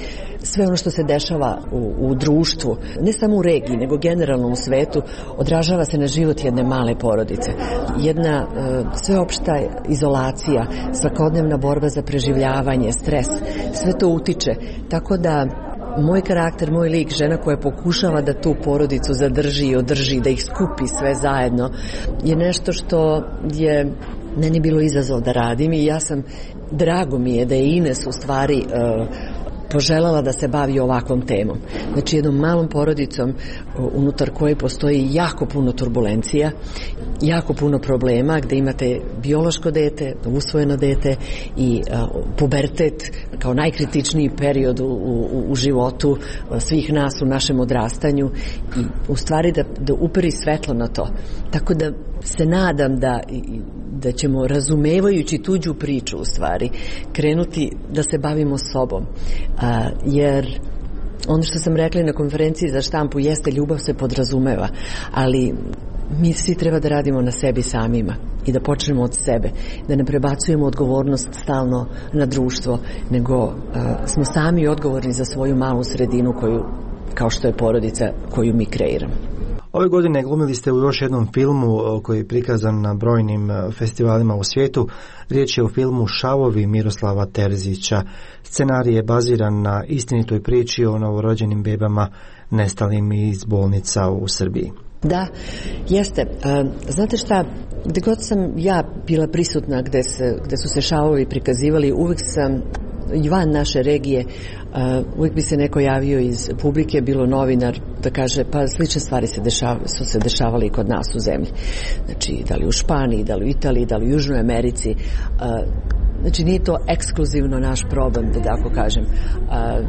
sve ono što se dešava u, u društvu, ne samo u regiji, nego generalno u svetu, odražava se na život jedne male porodice. Jedna e, sveopšta izolacija, svakodnevna borba za preživljavanje, stres, sve to utiče, tako da moj karakter, moj lik, žena koja pokušava da tu porodicu zadrži i održi, da ih skupi sve zajedno, je nešto što je meni bilo izazov da radim i ja sam, drago mi je da je Ines u stvari uh, poželjela da se bavi ovakvom temom. Znači jednom malom porodicom unutar koje postoji jako puno turbulencija, jako puno problema, gde imate biološko dete, usvojeno dete i a, pubertet kao najkritičniji period u, u, u životu svih nas u našem odrastanju i u stvari da, da uperi svetlo na to. Tako da se nadam da da ćemo, razumevajući tuđu priču u stvari, krenuti da se bavimo sobom. A, jer ono što sam rekla na konferenciji za štampu jeste ljubav se podrazumeva, ali mi svi treba da radimo na sebi samima i da počnemo od sebe, da ne prebacujemo odgovornost stalno na društvo, nego uh, smo sami odgovorni za svoju malu sredinu koju, kao što je porodica koju mi kreiramo. Ove godine glumili ste u još jednom filmu koji je prikazan na brojnim festivalima u svijetu. Riječ je o filmu Šavovi Miroslava Terzića. Scenarij je baziran na istinitoj priči o novorođenim bebama nestalim iz bolnica u Srbiji. Da, jeste. Znate šta, gdje god sam ja bila prisutna, gdje, se, gdje su se šavovi prikazivali, uvijek sam i van naše regije, uh, uvijek bi se neko javio iz publike, bilo novinar, da kaže pa slične stvari se dešava, su se dešavali i kod nas u zemlji. Znači, da li u Španiji, da li u Italiji, da li u Južnoj Americi. Uh, znači, nije to ekskluzivno naš problem, da tako kažem. Uh,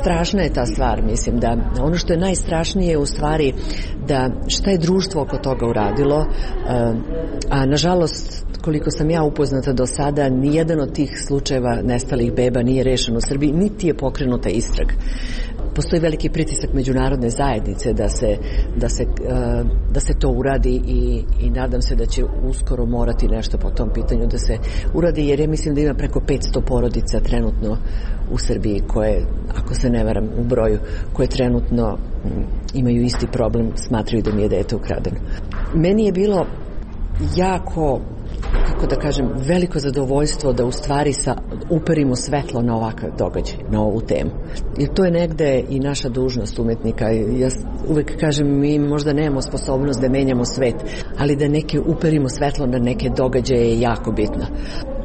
strašna je ta stvar, mislim, da ono što je najstrašnije je u stvari da šta je društvo oko toga uradilo, uh, a nažalost, koliko sam ja upoznata do sada, nijedan od tih slučajeva nestalih beba nije rešen u Srbiji, niti je pokrenuta istraga. Postoji veliki pritisak međunarodne zajednice da se, da se, da se to uradi i, i nadam se da će uskoro morati nešto po tom pitanju da se uradi, jer ja mislim da ima preko petsto porodica trenutno u Srbiji koje, ako se ne varam u broju, koje trenutno imaju isti problem, smatraju da mi je dete ukradeno. Meni je bilo jako, kako onako da kažem veliko zadovoljstvo da u stvari sa, uperimo svetlo na ovakav događaj, na ovu temu. I to je negde i naša dužnost umetnika. Ja uvek kažem, mi možda nemamo sposobnost da menjamo svet, ali da neke uperimo svetlo na neke događaje je jako bitno.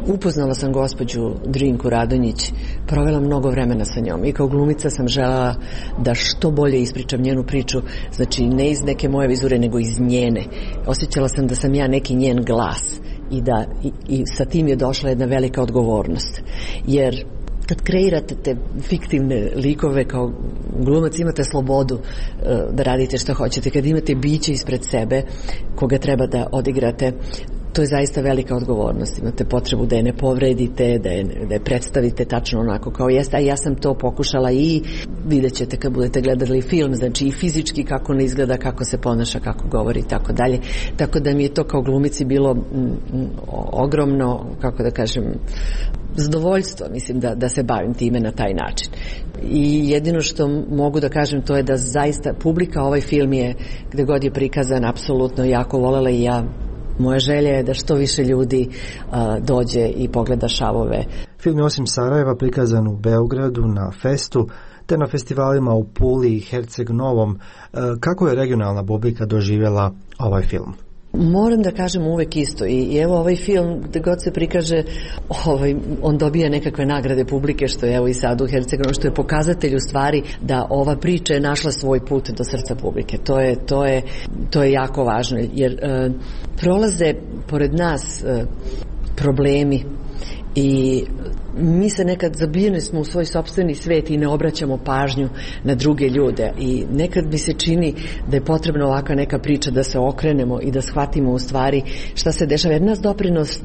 Upoznala sam gospođu Drinku Radonjić, provela mnogo vremena sa njom i kao glumica sam želela da što bolje ispričam njenu priču, znači ne iz neke moje vizure, nego iz njene. Osjećala sam da sam ja neki njen glas i da i, i sa tim je došla jedna velika odgovornost. Jer kad kreirate te fiktivne likove kao glumac, imate slobodu uh, da radite što hoćete. Kad imate biće ispred sebe koga treba da odigrate, to je zaista velika odgovornost. Imate potrebu da je ne povredite, da je, da je predstavite tačno onako kao jeste, a ja sam to pokušala i vidjet ćete kad budete gledali film, znači i fizički kako ne izgleda, kako se ponaša, kako govori i tako dalje. Tako da mi je to kao glumici bilo m, m, ogromno, kako da kažem, zadovoljstvo, mislim, da, da se bavim time na taj način. I jedino što mogu da kažem to je da zaista publika ovaj film je, gde god je prikazan, apsolutno jako volela i ja. Moja želja je da što više ljudi a, dođe i pogleda Šavove. Film je osim Sarajeva prikazan u Beogradu na Festu, te na festivalima u Puli i Herceg Novom. Kako je regionalna publika doživjela ovaj film? Moram da kažem uvek isto i, i evo ovaj film gde god se prikaže ovaj, on dobija nekakve nagrade publike, što je evo i sad u Hercegovini, što je pokazatelj u stvari da ova priča je našla svoj put do srca publike. To je, to je, to je jako važno jer e, prolaze pored nas e, problemi i mi se nekad zabijeni smo u svoj sopstveni svet i ne obraćamo pažnju na druge ljude i nekad mi se čini da je potrebna ovakva neka priča da se okrenemo i da shvatimo u stvari šta se dešava, jer nas doprinos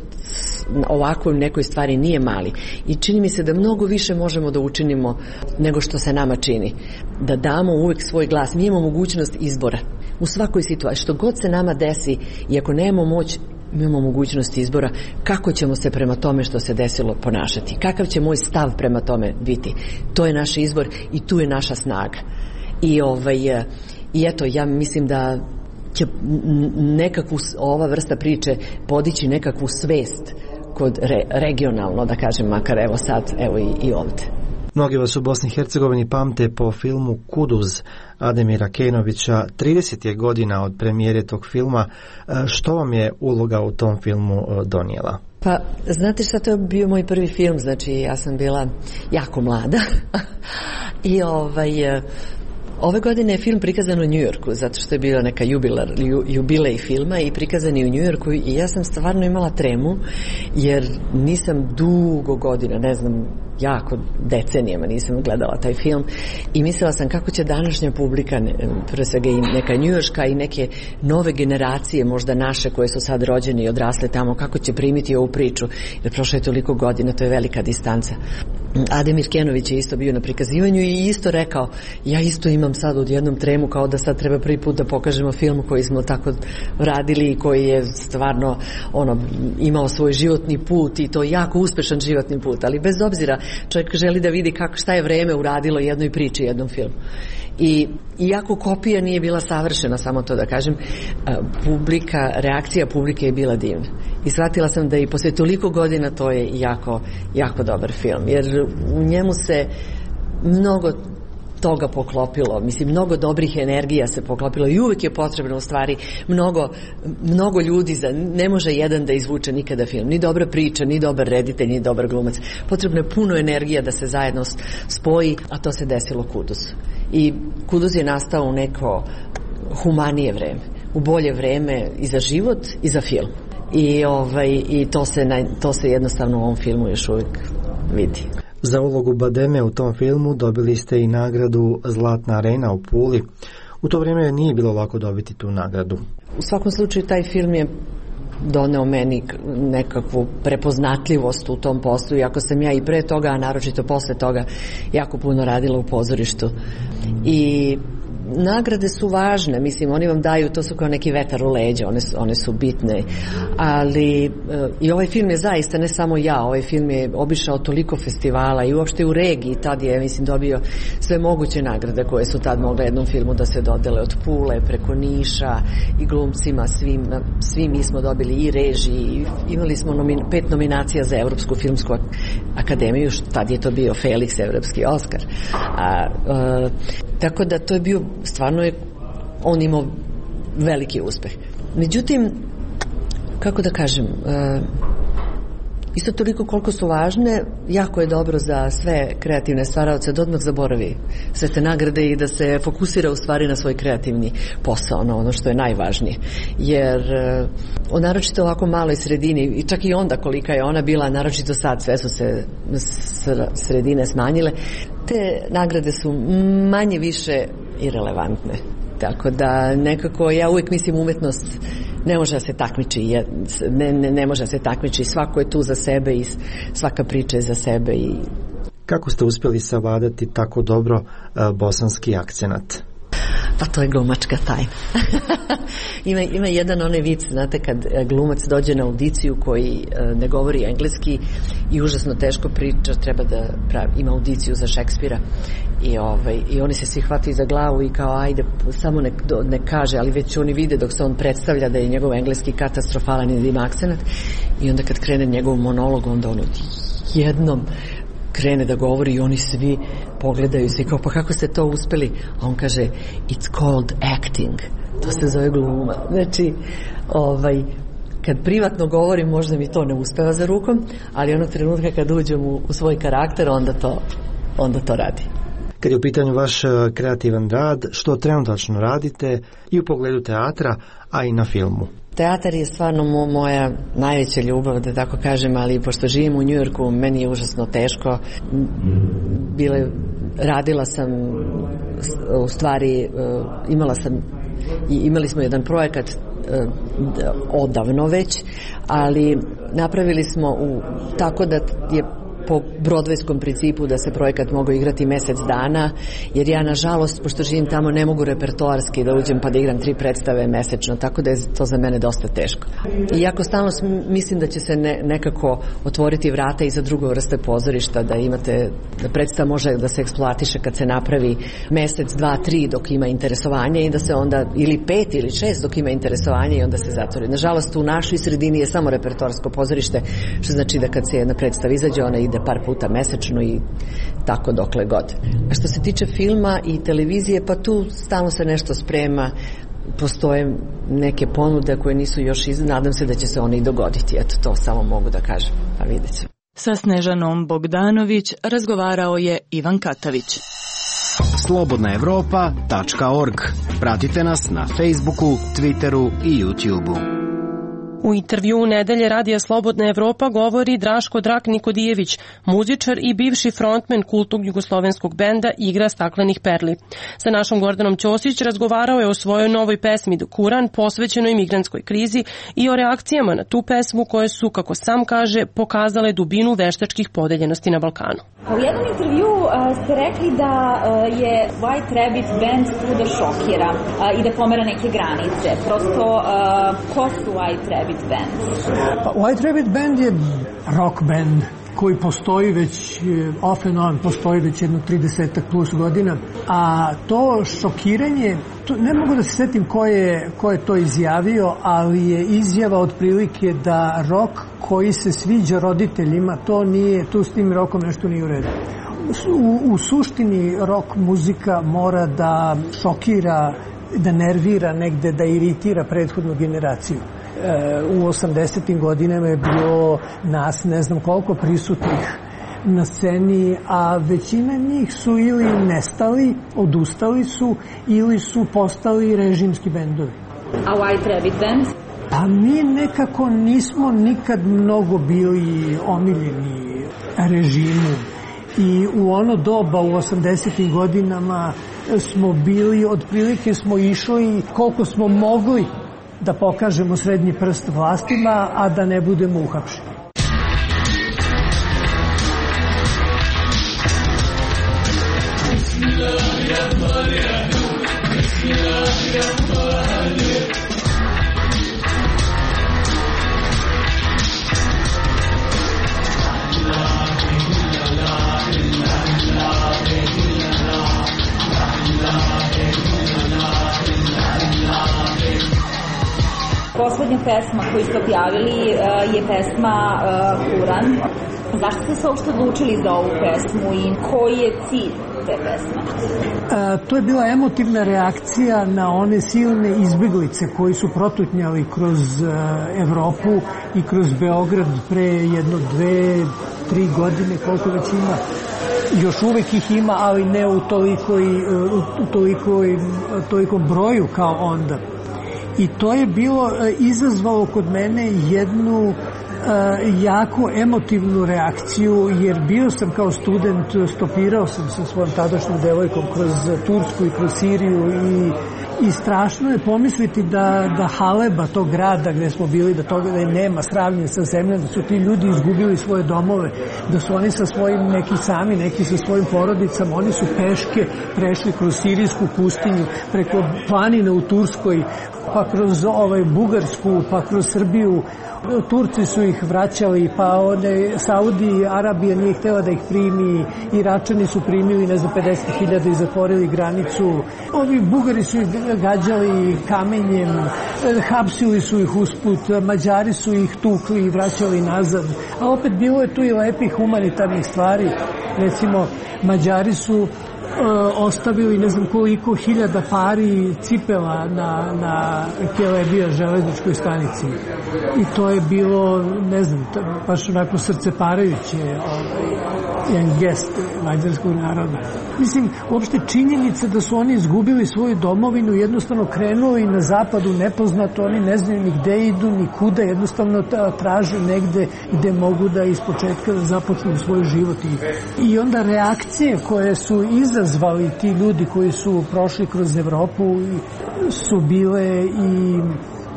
ovakvoj nekoj stvari nije mali i čini mi se da mnogo više možemo da učinimo nego što se nama čini, da damo uvek svoj glas. Mi imamo mogućnost izbora u svakoj situaciji, što god se nama desi i ako nemamo moć, mi imamo mogućnost izbora kako ćemo se prema tome što se desilo ponašati, kakav će moj stav prema tome biti. To je naš izbor i tu je naša snaga. I, ovaj, i eto, ja mislim da će nekakvu ova vrsta priče podići nekakvu svest kod re, regionalno, da kažem, makar evo sad, evo i, i ovde. Mnogi vas u Bosni i Hercegovini pamte po filmu Kuduz Ademira Kenovića. trideset je godina od premijere tog filma. Što vam je uloga u tom filmu donijela? Pa, znate šta, to je bio moj prvi film, znači ja sam bila jako mlada i ovaj... Ove godine je film prikazan u Njujorku, zato što je bio neka jubilar, ju, jubilej filma i prikazan je u Njujorku i ja sam stvarno imala tremu, jer nisam dugo godina, ne znam, jako decenijama nisam gledala taj film i mislila sam kako će današnja publika, pre svega i neka njujorška i neke nove generacije, možda naše koje su sad rođene i odrasle tamo, kako će primiti ovu priču, jer prošlo je toliko godina, to je velika distanca. Ademir Kenović je isto bio na prikazivanju i isto rekao, ja isto imam sad odjednom tremu kao da sad treba prvi put da pokažemo film koji smo tako radili i koji je stvarno ono, imao svoj životni put i to jako uspešan životni put, ali bez obzira čovjek želi da vidi kako, šta je vreme uradilo jednoj priči, jednom filmu. I iako kopija nije bila savršena, samo to da kažem, publika, reakcija publike je bila divna. I shvatila sam da i posle toliko godina to je jako, jako dobar film, jer u njemu se mnogo toga poklopilo, mislim, mnogo dobrih energija se poklopilo i uvek je potrebno u stvari mnogo, mnogo ljudi, za, ne može jedan da izvuče nikada film, ni dobra priča, ni dobar reditelj, ni dobar glumac, potrebno je puno energija da se zajedno spoji, a to se desilo Kuduzu. I Kuduz je nastao u neko humanije vreme, u bolje vreme i za život i za film. I, ovaj, i to, se na, to se jednostavno u ovom filmu još uvijek vidi. Za ulogu Bademe u tom filmu dobili ste i nagradu Zlatna arena u Puli. U to vrijeme nije bilo lako dobiti tu nagradu. U svakom slučaju taj film je doneo meni nekakvu prepoznatljivost u tom poslu, iako sam ja i pre toga, a naročito posle toga, jako puno radila u pozorištu. I nagrade su važne, mislim, oni vam daju, to su kao neki vetar u leđa, one, one su bitne, ali e, i ovaj film je zaista, ne samo ja, ovaj film je obišao toliko festivala i uopšte u regiji, tad je, mislim, dobio sve moguće nagrade koje su tad mogle jednom filmu da se dodele, od Pule preko Niša i glumcima, svim, svi mi smo dobili i režiji, imali smo nomin, pet nominacija za Evropsku filmsku akademiju, tad je to bio Felix, Evropski Oskar. A, a, tako da to je bio, stvarno je on imao veliki uspeh. Međutim, kako da kažem, a, isto toliko koliko su važne, jako je dobro za sve kreativne stvaraoce da odmah zaboravi sve te nagrade i da se fokusira u stvari na svoj kreativni posao, ono, ono što je najvažnije. Jer o naročito ovako maloj sredini, i čak i onda kolika je ona bila, naročito sad sve su se sredine smanjile, te nagrade su manje više irelevantne. Tako da nekako ja uvijek mislim umetnost ne može da se takmiči, ne, ne, ne može da se takmiči, svako je tu za sebe i svaka priča je za sebe. I... Kako ste uspjeli savladati tako dobro uh, bosanski akcenat? Pa to je glumačka tajna. ima, ima jedan onaj vic, znate, kad glumac dođe na audiciju koji uh, ne govori engleski i užasno teško priča, treba da pravi, ima audiciju za Šekspira i, ovaj, i oni se svi hvataju za glavu i kao ajde, samo ne, ne kaže, ali već oni vide dok se on predstavlja da je njegov engleski katastrofalan i da ima akcenat i onda kad krene njegov monolog, onda ono jednom krene da govori i oni svi pogledaju se i kao, pa kako ste to uspeli? A on kaže, it's called acting. To se zove gluma. Znači, ovaj, kad privatno govorim, možda mi to ne uspeva za rukom, ali onog trenutka kad uđem u, u svoj karakter, onda to, onda to radi. Kad je u pitanju vaš kreativan rad, što trenutačno radite i u pogledu teatra, a i na filmu? Teatar je stvarno mo, moja najveća ljubav, da tako kažem, ali pošto živim u Njujorku, meni je užasno teško. Bile, radila sam, u stvari, imala sam, imali smo jedan projekat odavno već, ali napravili smo u, tako da je po brodvejskom principu da se projekat mogao igrati mjesec dana, jer ja nažalost, pošto živim tamo, ne mogu repertoarski da uđem pa da igram tri predstave mesečno, tako da je to za mene dosta teško. Iako stalno mislim da će se ne, nekako otvoriti vrata i za druge vrste pozorišta, da imate, da predstava može da se eksploatiše kad se napravi mesec, dva, tri dok ima interesovanje i da se onda, ili pet ili šest dok ima interesovanje i onda se zatvori. Nažalost, u našoj sredini je samo repertoarsko pozorište, što znači da kad se jedna predstava izađe, ona ide par puta mesečno i tako dokle god. A što se tiče filma i televizije, pa tu stalno se nešto sprema, postoje neke ponude koje nisu još iz... nadam se da će se one i dogoditi. Eto, to samo mogu da kažem, pa vidjet ćemo. Sa Snežanom Bogdanović razgovarao je Ivan Katavić. slobodna evropa tačka org. Pratite nas na Facebooku, Twitteru i YouTubeu. U intervjuu Nedelje Radija Slobodna Evropa govori Draško Drak Nikodijević, muzičar i bivši frontmen kultnog jugoslovenskog benda Igra staklenih perli. Sa našom Gordanom Ćosić razgovarao je o svojoj novoj pesmi Kuran, posvećenoj migrantskoj krizi, i o reakcijama na tu pesmu koje su, kako sam kaže, pokazale dubinu veštačkih podeljenosti na Balkanu. U jednom intervju uh, ste rekli da uh, je White Rabbit band tu da šokira uh, i da pomera neke granice. Prosto, uh, ko su White Rabbit band? Pa, White Rabbit band je rock band koji postoji već, off and on, postoji već jedno trideset plus godina. A to šokiranje, to, ne mogu da se setim ko je, ko je to izjavio, ali je izjava otprilike da rock koji se sviđa roditeljima, to nije, tu s tim rokom nešto nije u redu. U, u suštini rock muzika mora da šokira, da nervira negde, da iritira prethodnu generaciju. U osamdesetim godinama je bilo nas ne znam koliko prisutnih na sceni, a većina njih su ili nestali, odustali su, ili su postali režimski bendovi. A White Rabbit band? Pa mi nekako nismo nikad mnogo bili omiljeni režimu. I u ono doba, u osamdesetim godinama, smo bili, otprilike smo išli koliko smo mogli da pokažemo srednji prst vlastima, a da ne budemo uhapšeni. Poslednja pesma koju ste objavili je pesma Kuran. Zašto ste se uopšte odlučili za ovu pesmu i koji je cilj te pesme? E, to je bila emotivna reakcija na one silne izbeglice koji su protutnjali kroz e, Evropu i kroz Beograd pre jedno, dve, tri godine, koliko već ima. Još uvek ih ima, ali ne u tolikoj, u tolikoj, tolikom broju kao onda. I to je bilo izazvalo kod mene jednu jako emotivnu reakciju, jer bio sam kao student, stopirao sam sa svojom tadašnjom devojkom kroz Tursku i kroz Siriju i, i strašno je pomisliti da, da Haleba, tog grada gde smo bili, da toga da je nema sravnje sa zemljom, da su ti ljudi izgubili svoje domove, da su oni sa svojim, neki sami, neki sa svojim porodicama, oni su peške prešli kroz sirijsku pustinju, preko planine u Turskoj, pa kroz ovaj Bugarsku, pa kroz Srbiju. Turci su ih vraćali, pa one Saudi Arabija nije htjela da ih primi, Iračani su primili, ne znam, pedeset hiljada i zatvorili granicu. Ovi Bugari su ih gađali kamenjem, hapsili su ih usput, Mađari su ih tukli i vraćali nazad. A opet bilo je tu i lepih humanitarnih stvari. Recimo, Mađari su ostavili ne znam koliko hiljada pari cipela na, na Kelebija železničkoj stanici. I to je bilo, ne znam, baš onako srceparajuće ovaj, jedan gest mađarskog naroda. Mislim, uopšte činjenica da su oni izgubili svoju domovinu, jednostavno krenuli na zapadu nepoznato, oni ne znaju ni gde idu, ni kuda, jednostavno traže negde gde mogu da ispočetka započnu svoj život. I, i onda reakcije koje su izazvali ti ljudi koji su prošli kroz Evropu su bile i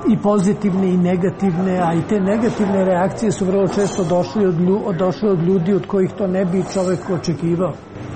i pozitivne i negativne, a i te negativne reakcije su vrlo često došle od, lju, došle od ljudi od kojih to ne bi čovek očekivao.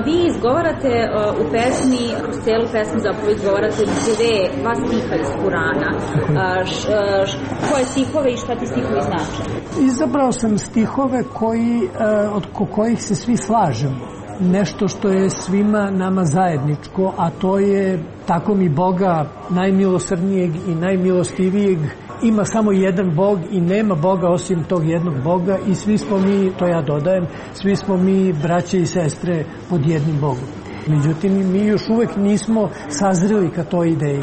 Vi izgovarate uh, u pesmi, kroz celu pesmu zapravo izgovarate dve, dva stiha iz Kurana. Uh, š, uh, š, koje stihove i šta ti stihovi znače? Izabrao sam stihove koji, uh, od kojih se svi slažemo. Nešto što je svima nama zajedničko, a to je tako mi Boga najmilosrdnijeg i najmilostivijeg, ima samo jedan Bog i nema Boga osim tog jednog Boga i svi smo mi, to ja dodajem, svi smo mi braće i sestre pod jednim Bogom. Međutim, mi još uvek nismo sazreli ka toj ideji.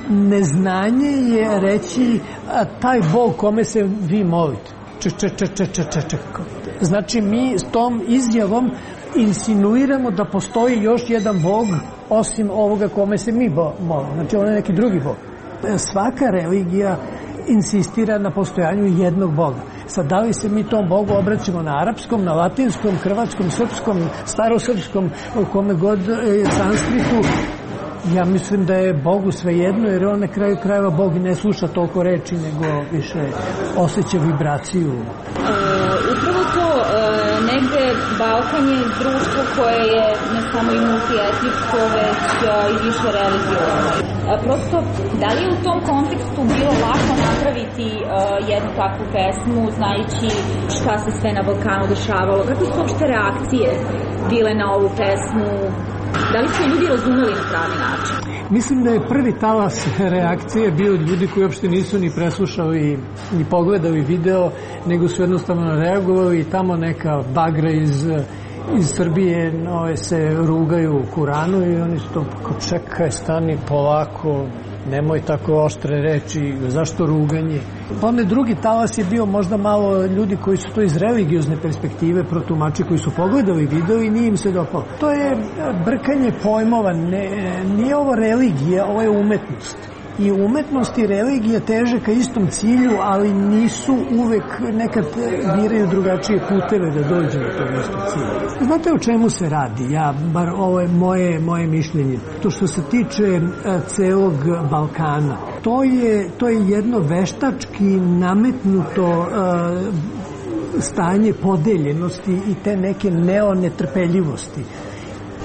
Neznanje je reći a, taj Bog kome se vi molite. Č, č, č, č, č, č, č. Znači, mi s tom izjavom insinuiramo da postoji još jedan Bog osim ovoga kome se mi molimo. Znači, on je neki drugi Bog. Svaka religija insistira na postojanju jednog Boga. Sad, da li se mi tom Bogu obraćamo na arapskom, na latinskom, hrvatskom, srpskom, starosrpskom, kome god je sanskritu, ja mislim da je Bogu svejedno, jer on na kraju krajeva Bog ne sluša toliko reči, nego više osjeća vibraciju. E, upravo to, e, negde Balkan je društvo koje je ne samo i multietničko, već i više religiozno. E, prosto, da li je u tom kontekstu bilo lako napraviti e, jednu takvu pesmu, znajući šta se sve na Balkanu dešavalo? Kako su uopšte reakcije bile na ovu pesmu? Da li su ljudi razumeli na pravi način? Mislim da je prvi talas reakcije bio od ljudi koji uopšte nisu ni preslušali, ni pogledali video, nego su jednostavno reagovali i tamo neka bagra iz, iz Srbije no, se rugaju u Kuranu i oni su to kao čekaj, stani polako, nemoj tako oštre reči, zašto ruganje? Pa onaj drugi talas je bio možda malo ljudi koji su to iz religiozne perspektive protumači, koji su pogledali video i nije im se dopalo. To je brkanje pojmova, ne, nije ovo religija, ovo je umetnost. I umetnost i religija teže ka istom cilju, ali nisu uvek, nekad biraju drugačije puteve da dođu do tog istog cilja. Znate o čemu se radi? Ja, bar ovo je moje, moje mišljenje. To što se tiče celog Balkana, to je, to je jedno veštački nametnuto uh, stanje podeljenosti i te neke neonetrpeljivosti.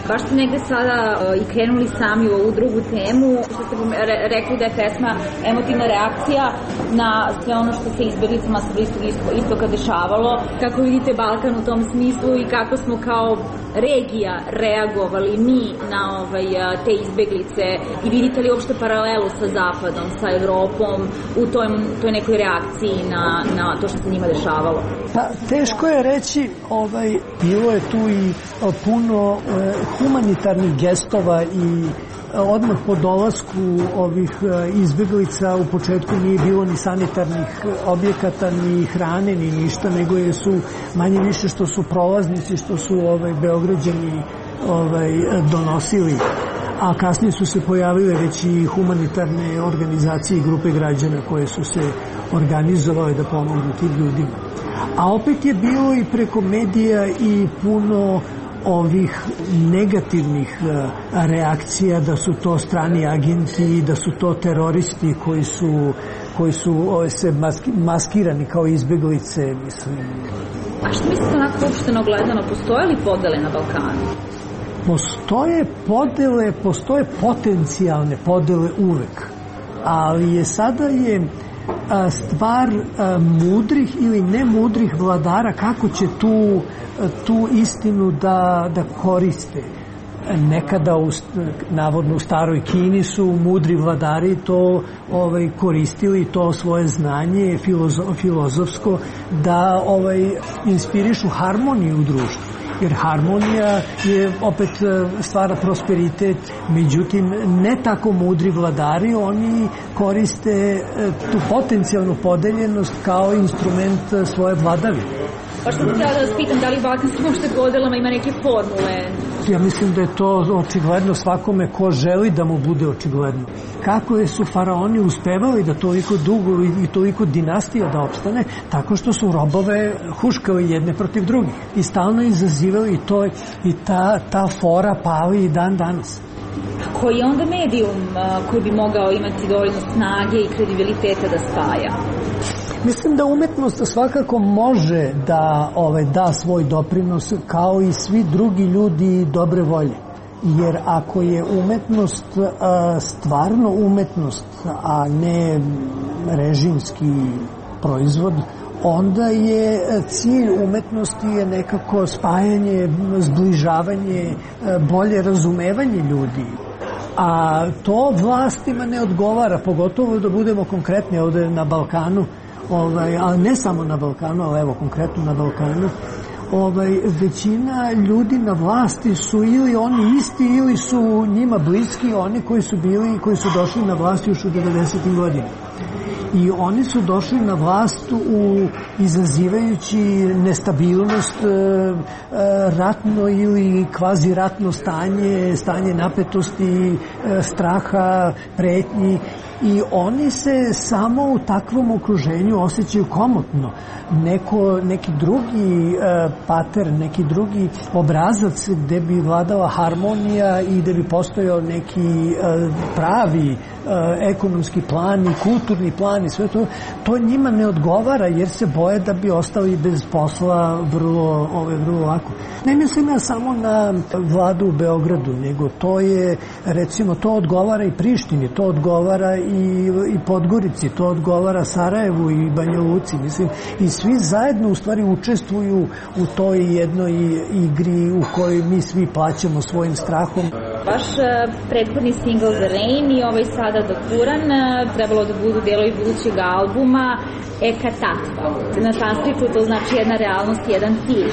Baš ste negde sada uh, i krenuli sami u ovu drugu temu, što ste re, rekli da je pesma emotivna reakcija na sve ono što se izbeglicama sa Bliskog istoka dešavalo. Kako vidite Balkan u tom smislu i kako smo kao regija reagovali mi na ovaj, te izbeglice i vidite li uopšte paralelu sa Zapadom, sa Evropom u toj, toj nekoj reakciji na, na to što se njima dešavalo? Pa, teško je reći, ovaj, bilo je tu i puno eh, humanitarnih gestova i odmah po dolasku ovih izbeglica u početku nije bilo ni sanitarnih objekata, ni hrane, ni ništa, nego je su manje više što su prolaznici, što su ovaj, Beograđani ovaj, donosili. A kasnije su se pojavile već i humanitarne organizacije i grupe građana koje su se organizovale da pomognu tim ljudima. A opet je bilo i preko medija i puno ovih negativnih reakcija da su to strani agenti, da su to teroristi koji su, koji su se maski, maskirani kao izbeglice, mislim. A što mislite onako uopšteno gledano, postoje li podele na Balkanu? Postoje podele, postoje potencijalne podele uvek, ali je sada je stvar mudrih ili nemudrih vladara kako će tu, tu istinu da, da koriste. Nekada u, navodno u staroj Kini su mudri vladari to ovaj, koristili, to svoje znanje filozo, filozofsko da ovaj, inspirišu harmoniju u društvu. Jer harmonija je opet stvara prosperitet, međutim ne tako mudri vladari, oni koriste tu potencijalnu podeljenost kao instrument svoje vladavine. Pa što sam htjela da vas pitam, da li balkanskim uopšte podelama ima neke formule? Ja mislim da je to očigledno svakome ko želi da mu bude očigledno. Kako su faraoni uspevali da toliko dugo i toliko dinastija da opstane, tako što su robove huškali jedne protiv drugih i stalno izazivali i to i ta, ta fora pali i dan danas. Koji je onda medijum koji bi mogao imati dovoljno snage i kredibiliteta da spaja? Mislim da umetnost svakako može da ovaj, da svoj doprinos kao i svi drugi ljudi dobre volje. Jer ako je umetnost a, stvarno umetnost, a ne režimski proizvod, onda je cilj umetnosti je nekako spajanje, zbližavanje, bolje razumevanje ljudi. A to vlastima ne odgovara, pogotovo da budemo konkretni ovde na Balkanu, ovaj, ali ne samo na Balkanu, ali evo konkretno na Balkanu, ovaj, većina ljudi na vlasti su ili oni isti ili su njima bliski oni koji su bili, koji su došli na vlast još u devedesetim godinama. I oni su došli na vlast u izazivajući nestabilnost, ratno ili kvazi ratno stanje, stanje napetosti, straha, pretnji. I oni se samo u takvom okruženju osjećaju komotno. Neko, neki drugi e, pater, neki drugi obrazac gde bi vladala harmonija i gde bi postojao neki e, pravi e, ekonomski plan i kulturni plan i sve to, to njima ne odgovara jer se boje da bi ostali bez posla vrlo, ove, vrlo lako. Ne mislim ja samo na vladu u Beogradu, nego to je, recimo, to odgovara i Prištini, to odgovara i, i Podgorici, to odgovara Sarajevu i Banja Luci, mislim, i svi zajedno u stvari učestvuju u toj jednoj igri u kojoj mi svi plaćamo svojim strahom. Vaš prethodni single The Rain i ovaj sada Dokuran trebalo da budu delovi budućeg albuma Eka Tatva. Na sanskritu to znači jedna realnost, jedan cilj.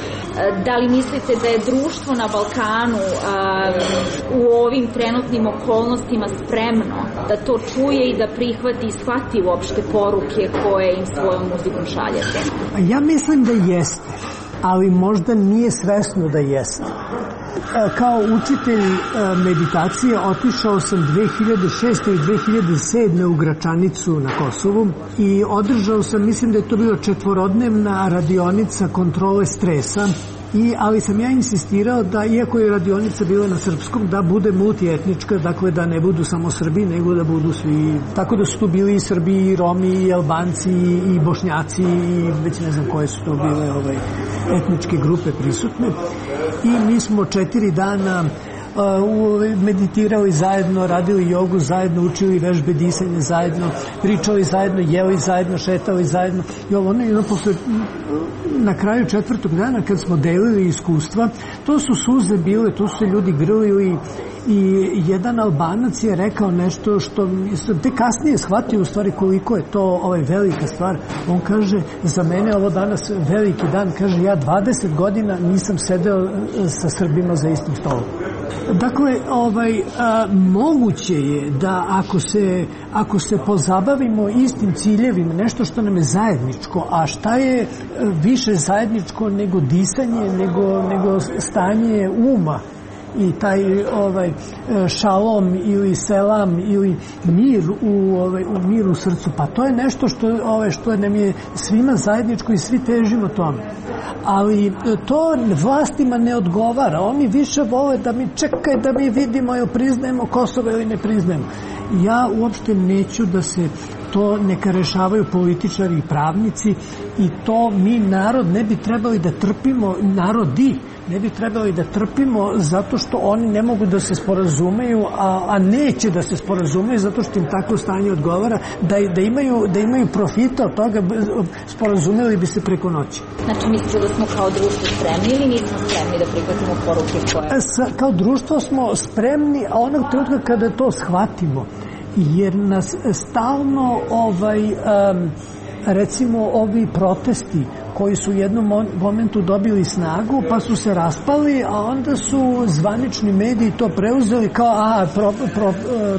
Da li mislite da je društvo na Balkanu a, u ovim trenutnim okolnostima spremno da to čuje i da prihvati i shvati uopšte poruke koje im svojom muzikom šaljete? Ja mislim da jeste, ali možda nije svesno da jeste. Kao učitelj meditacije otišao sam dve hiljade šeste i dve hiljade sedme u Gračanicu na Kosovu i održao sam, mislim da je to bila četvorodnevna radionica kontrole stresa. I, ali sam ja insistirao da, iako je radionica bila na srpskom, da bude multietnička, dakle da ne budu samo Srbi, nego da budu svi. Tako da su tu bili i Srbi, i Romi, i Albanci, i Bošnjaci, i već ne znam koje su to bile ovaj, etničke grupe prisutne. I mi smo četiri dana meditirali zajedno, radili jogu zajedno, učili vežbe disanja zajedno, pričali zajedno, jeli zajedno, šetali zajedno. I ovo, ono, posle, na kraju četvrtog dana kad smo delili iskustva, to su suze bile, to su se ljudi grlili i jedan Albanac je rekao nešto što te kasnije shvatio u stvari koliko je to ovaj velika stvar. On kaže, za mene ovo danas veliki dan, kaže, ja dvadeset godina nisam sedeo sa Srbima za istim stolom. Dakle, ovaj, a, moguće je da ako se, ako se pozabavimo istim ciljevima, nešto što nam je zajedničko, a šta je više zajedničko nego disanje, nego, nego stanje uma, i taj ovaj šalom ili selam ili mir u ovaj u miru u srcu, pa to je nešto što ovaj što nam je svima zajedničko i svi težimo tome. Ali to vlastima ne odgovara. Oni više vole da mi čekaj da mi vidimo ili priznajemo Kosovo ili ne priznajemo. Ja uopšte neću da se to neka rešavaju političari i pravnici i to mi narod ne bi trebali da trpimo, narodi ne bi trebali da trpimo zato što oni ne mogu da se sporazumeju, a, a neće da se sporazumeju zato što im tako stanje odgovara, da, da, imaju, da imaju profita od toga, sporazumeli bi se preko noći. Znači mislite da smo kao društvo spremni ili nismo spremni da prihvatimo poruke koje? Sa, kao društvo smo spremni, a onog trenutka kada to shvatimo, jer nas stalno ovaj, um, recimo ovi protesti koji su u jednom momentu dobili snagu pa su se raspali, a onda su zvanični mediji to preuzeli kao a pro, pro,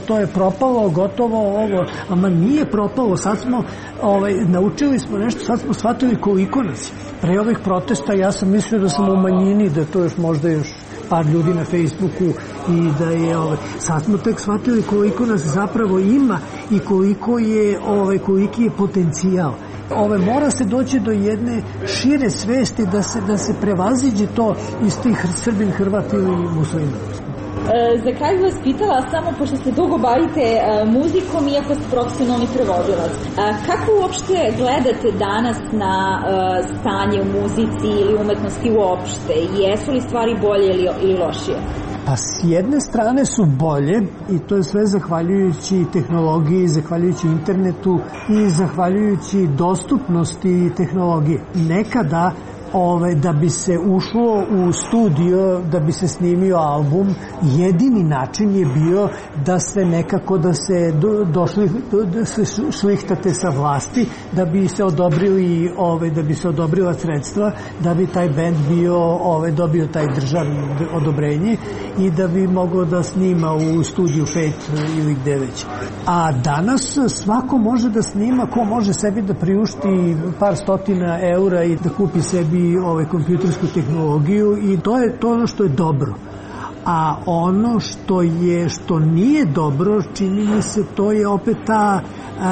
to je propalo, gotovo ovo, ama nije propalo, sad smo ovaj, naučili smo nešto, sad smo shvatili koliko nas. Pre ovih protesta ja sam mislio da sam u manjini, da to još možda još par ljudi na Facebooku i da je ovaj, sad smo tek shvatili koliko nas zapravo ima i koliko je ovaj, koliki je potencijal. Ove, mora se doći do jedne šire svesti da se, da se prevaziđe to iz tih Srbin, Hrvat ili Muslima. E, za kraj vas pitala, samo pošto se dugo bavite e, muzikom, iako ste profesionalni prevodilac, e, kako uopšte gledate danas na e, stanje u muzici ili umetnosti uopšte? Jesu li stvari bolje ili, ili lošije? Pa s jedne strane su bolje i to je sve zahvaljujući tehnologiji, zahvaljujući internetu i zahvaljujući dostupnosti tehnologije. Nekada Ove, da bi se ušlo u studio, da bi se snimio album, jedini način je bio da se nekako da se do, došli da se šlihtate sa vlasti, da bi se odobrili, ove, da bi se odobrila sredstva, da bi taj bend bio, ove, dobio taj državno odobrenje i da bi mogao da snima u studiju pet ili gde već. A danas svako može da snima, ko može sebi da priušti par stotina eura i da kupi sebi ovaj kompjutersku tehnologiju i to je to ono što je dobro. A ono što je što nije dobro, čini mi se, to je opet ta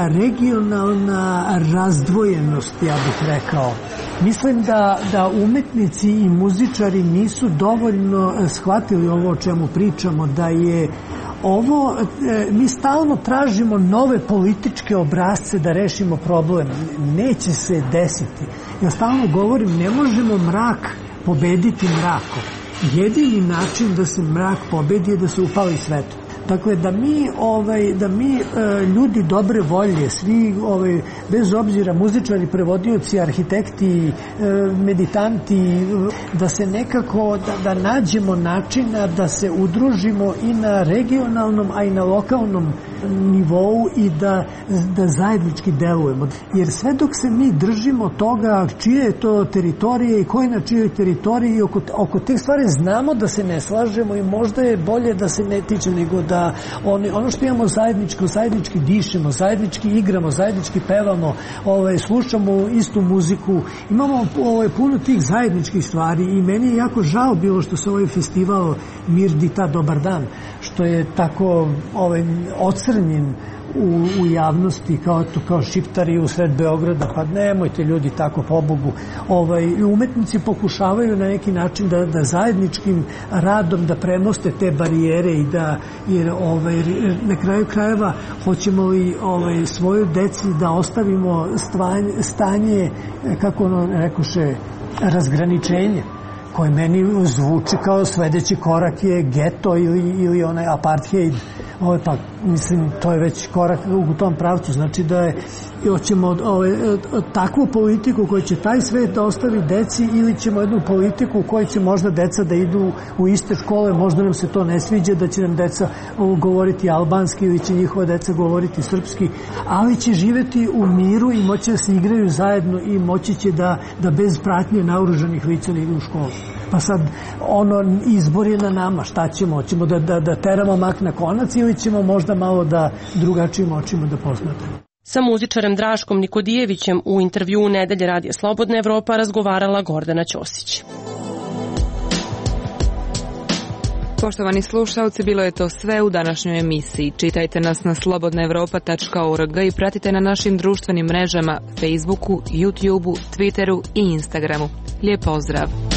regionalna razdvojenost, ja bih rekao. Mislim da, da umetnici i muzičari nisu dovoljno shvatili ovo o čemu pričamo, da je ovo, mi stalno tražimo nove političke obrazce da rešimo problem. Neće se desiti. Ja stalno govorim, ne možemo mrak pobediti mrakom. Jedini način da se mrak pobedi je da se upali svetlo. Dakle, da mi, ovaj, da mi e, ljudi dobre volje, svi, ovaj, bez obzira, muzičari, prevodioci, arhitekti, e, meditanti, da se nekako, da, da nađemo načina da se udružimo i na regionalnom, a i na lokalnom nivou i da, da zajednički delujemo. Jer sve dok se mi držimo toga čije je to teritorije i ko je na čijoj teritoriji, oko, oko te stvari znamo da se ne slažemo i možda je bolje da se ne tiče nego da on, ono što imamo zajedničko, zajednički dišemo, zajednički igramo, zajednički pevamo, ovaj, slušamo istu muziku, imamo ovaj, puno tih zajedničkih stvari i meni je jako žao bilo što se ovaj festival Mir Dita Dobar dan, što je tako ovaj, ocrnjen u, u javnosti kao, kao šiptari u sred Beograda, pa nemojte ljudi tako, pobogu. Ovaj, umetnici pokušavaju na neki način da, da zajedničkim radom da premoste te barijere i da, jer ovaj, na kraju krajeva hoćemo li ovaj, svoju deci da ostavimo stanje, stanje kako ono rekoše, razgraničenje. koji meni zvuči kao sledeći korak je geto ili, ili onaj apartheid. Ovo, pa, mislim, to je već korak u tom pravcu. Znači da je hoćemo ove, takvu politiku koja će taj svet da ostavi deci ili ćemo jednu politiku u kojoj će možda deca da idu u iste škole, možda nam se to ne sviđa, da će nam deca govoriti albanski ili će njihova deca govoriti srpski, ali će živeti u miru i moći da se igraju zajedno i moći će da, da bez pratnje naoružanih lica ne idu u školu. Pa sad, ono, izbor je na nama, šta ćemo? Hoćemo da, da, da teramo mak na konac ili ćemo možda malo da drugačijim očima da posmatramo? Sa muzičarem Draškom Nikodijevićem u intervjuu Nedelje Radija Slobodna Evropa razgovarala Gordana Ćosić. Poštovani slušalci, bilo je to sve u današnjoj emisiji. Čitajte nas na slobodna evropa tačka org i pratite na našim društvenim mrežama Facebooku, YouTubeu, Twitteru i Instagramu. Lijep pozdrav!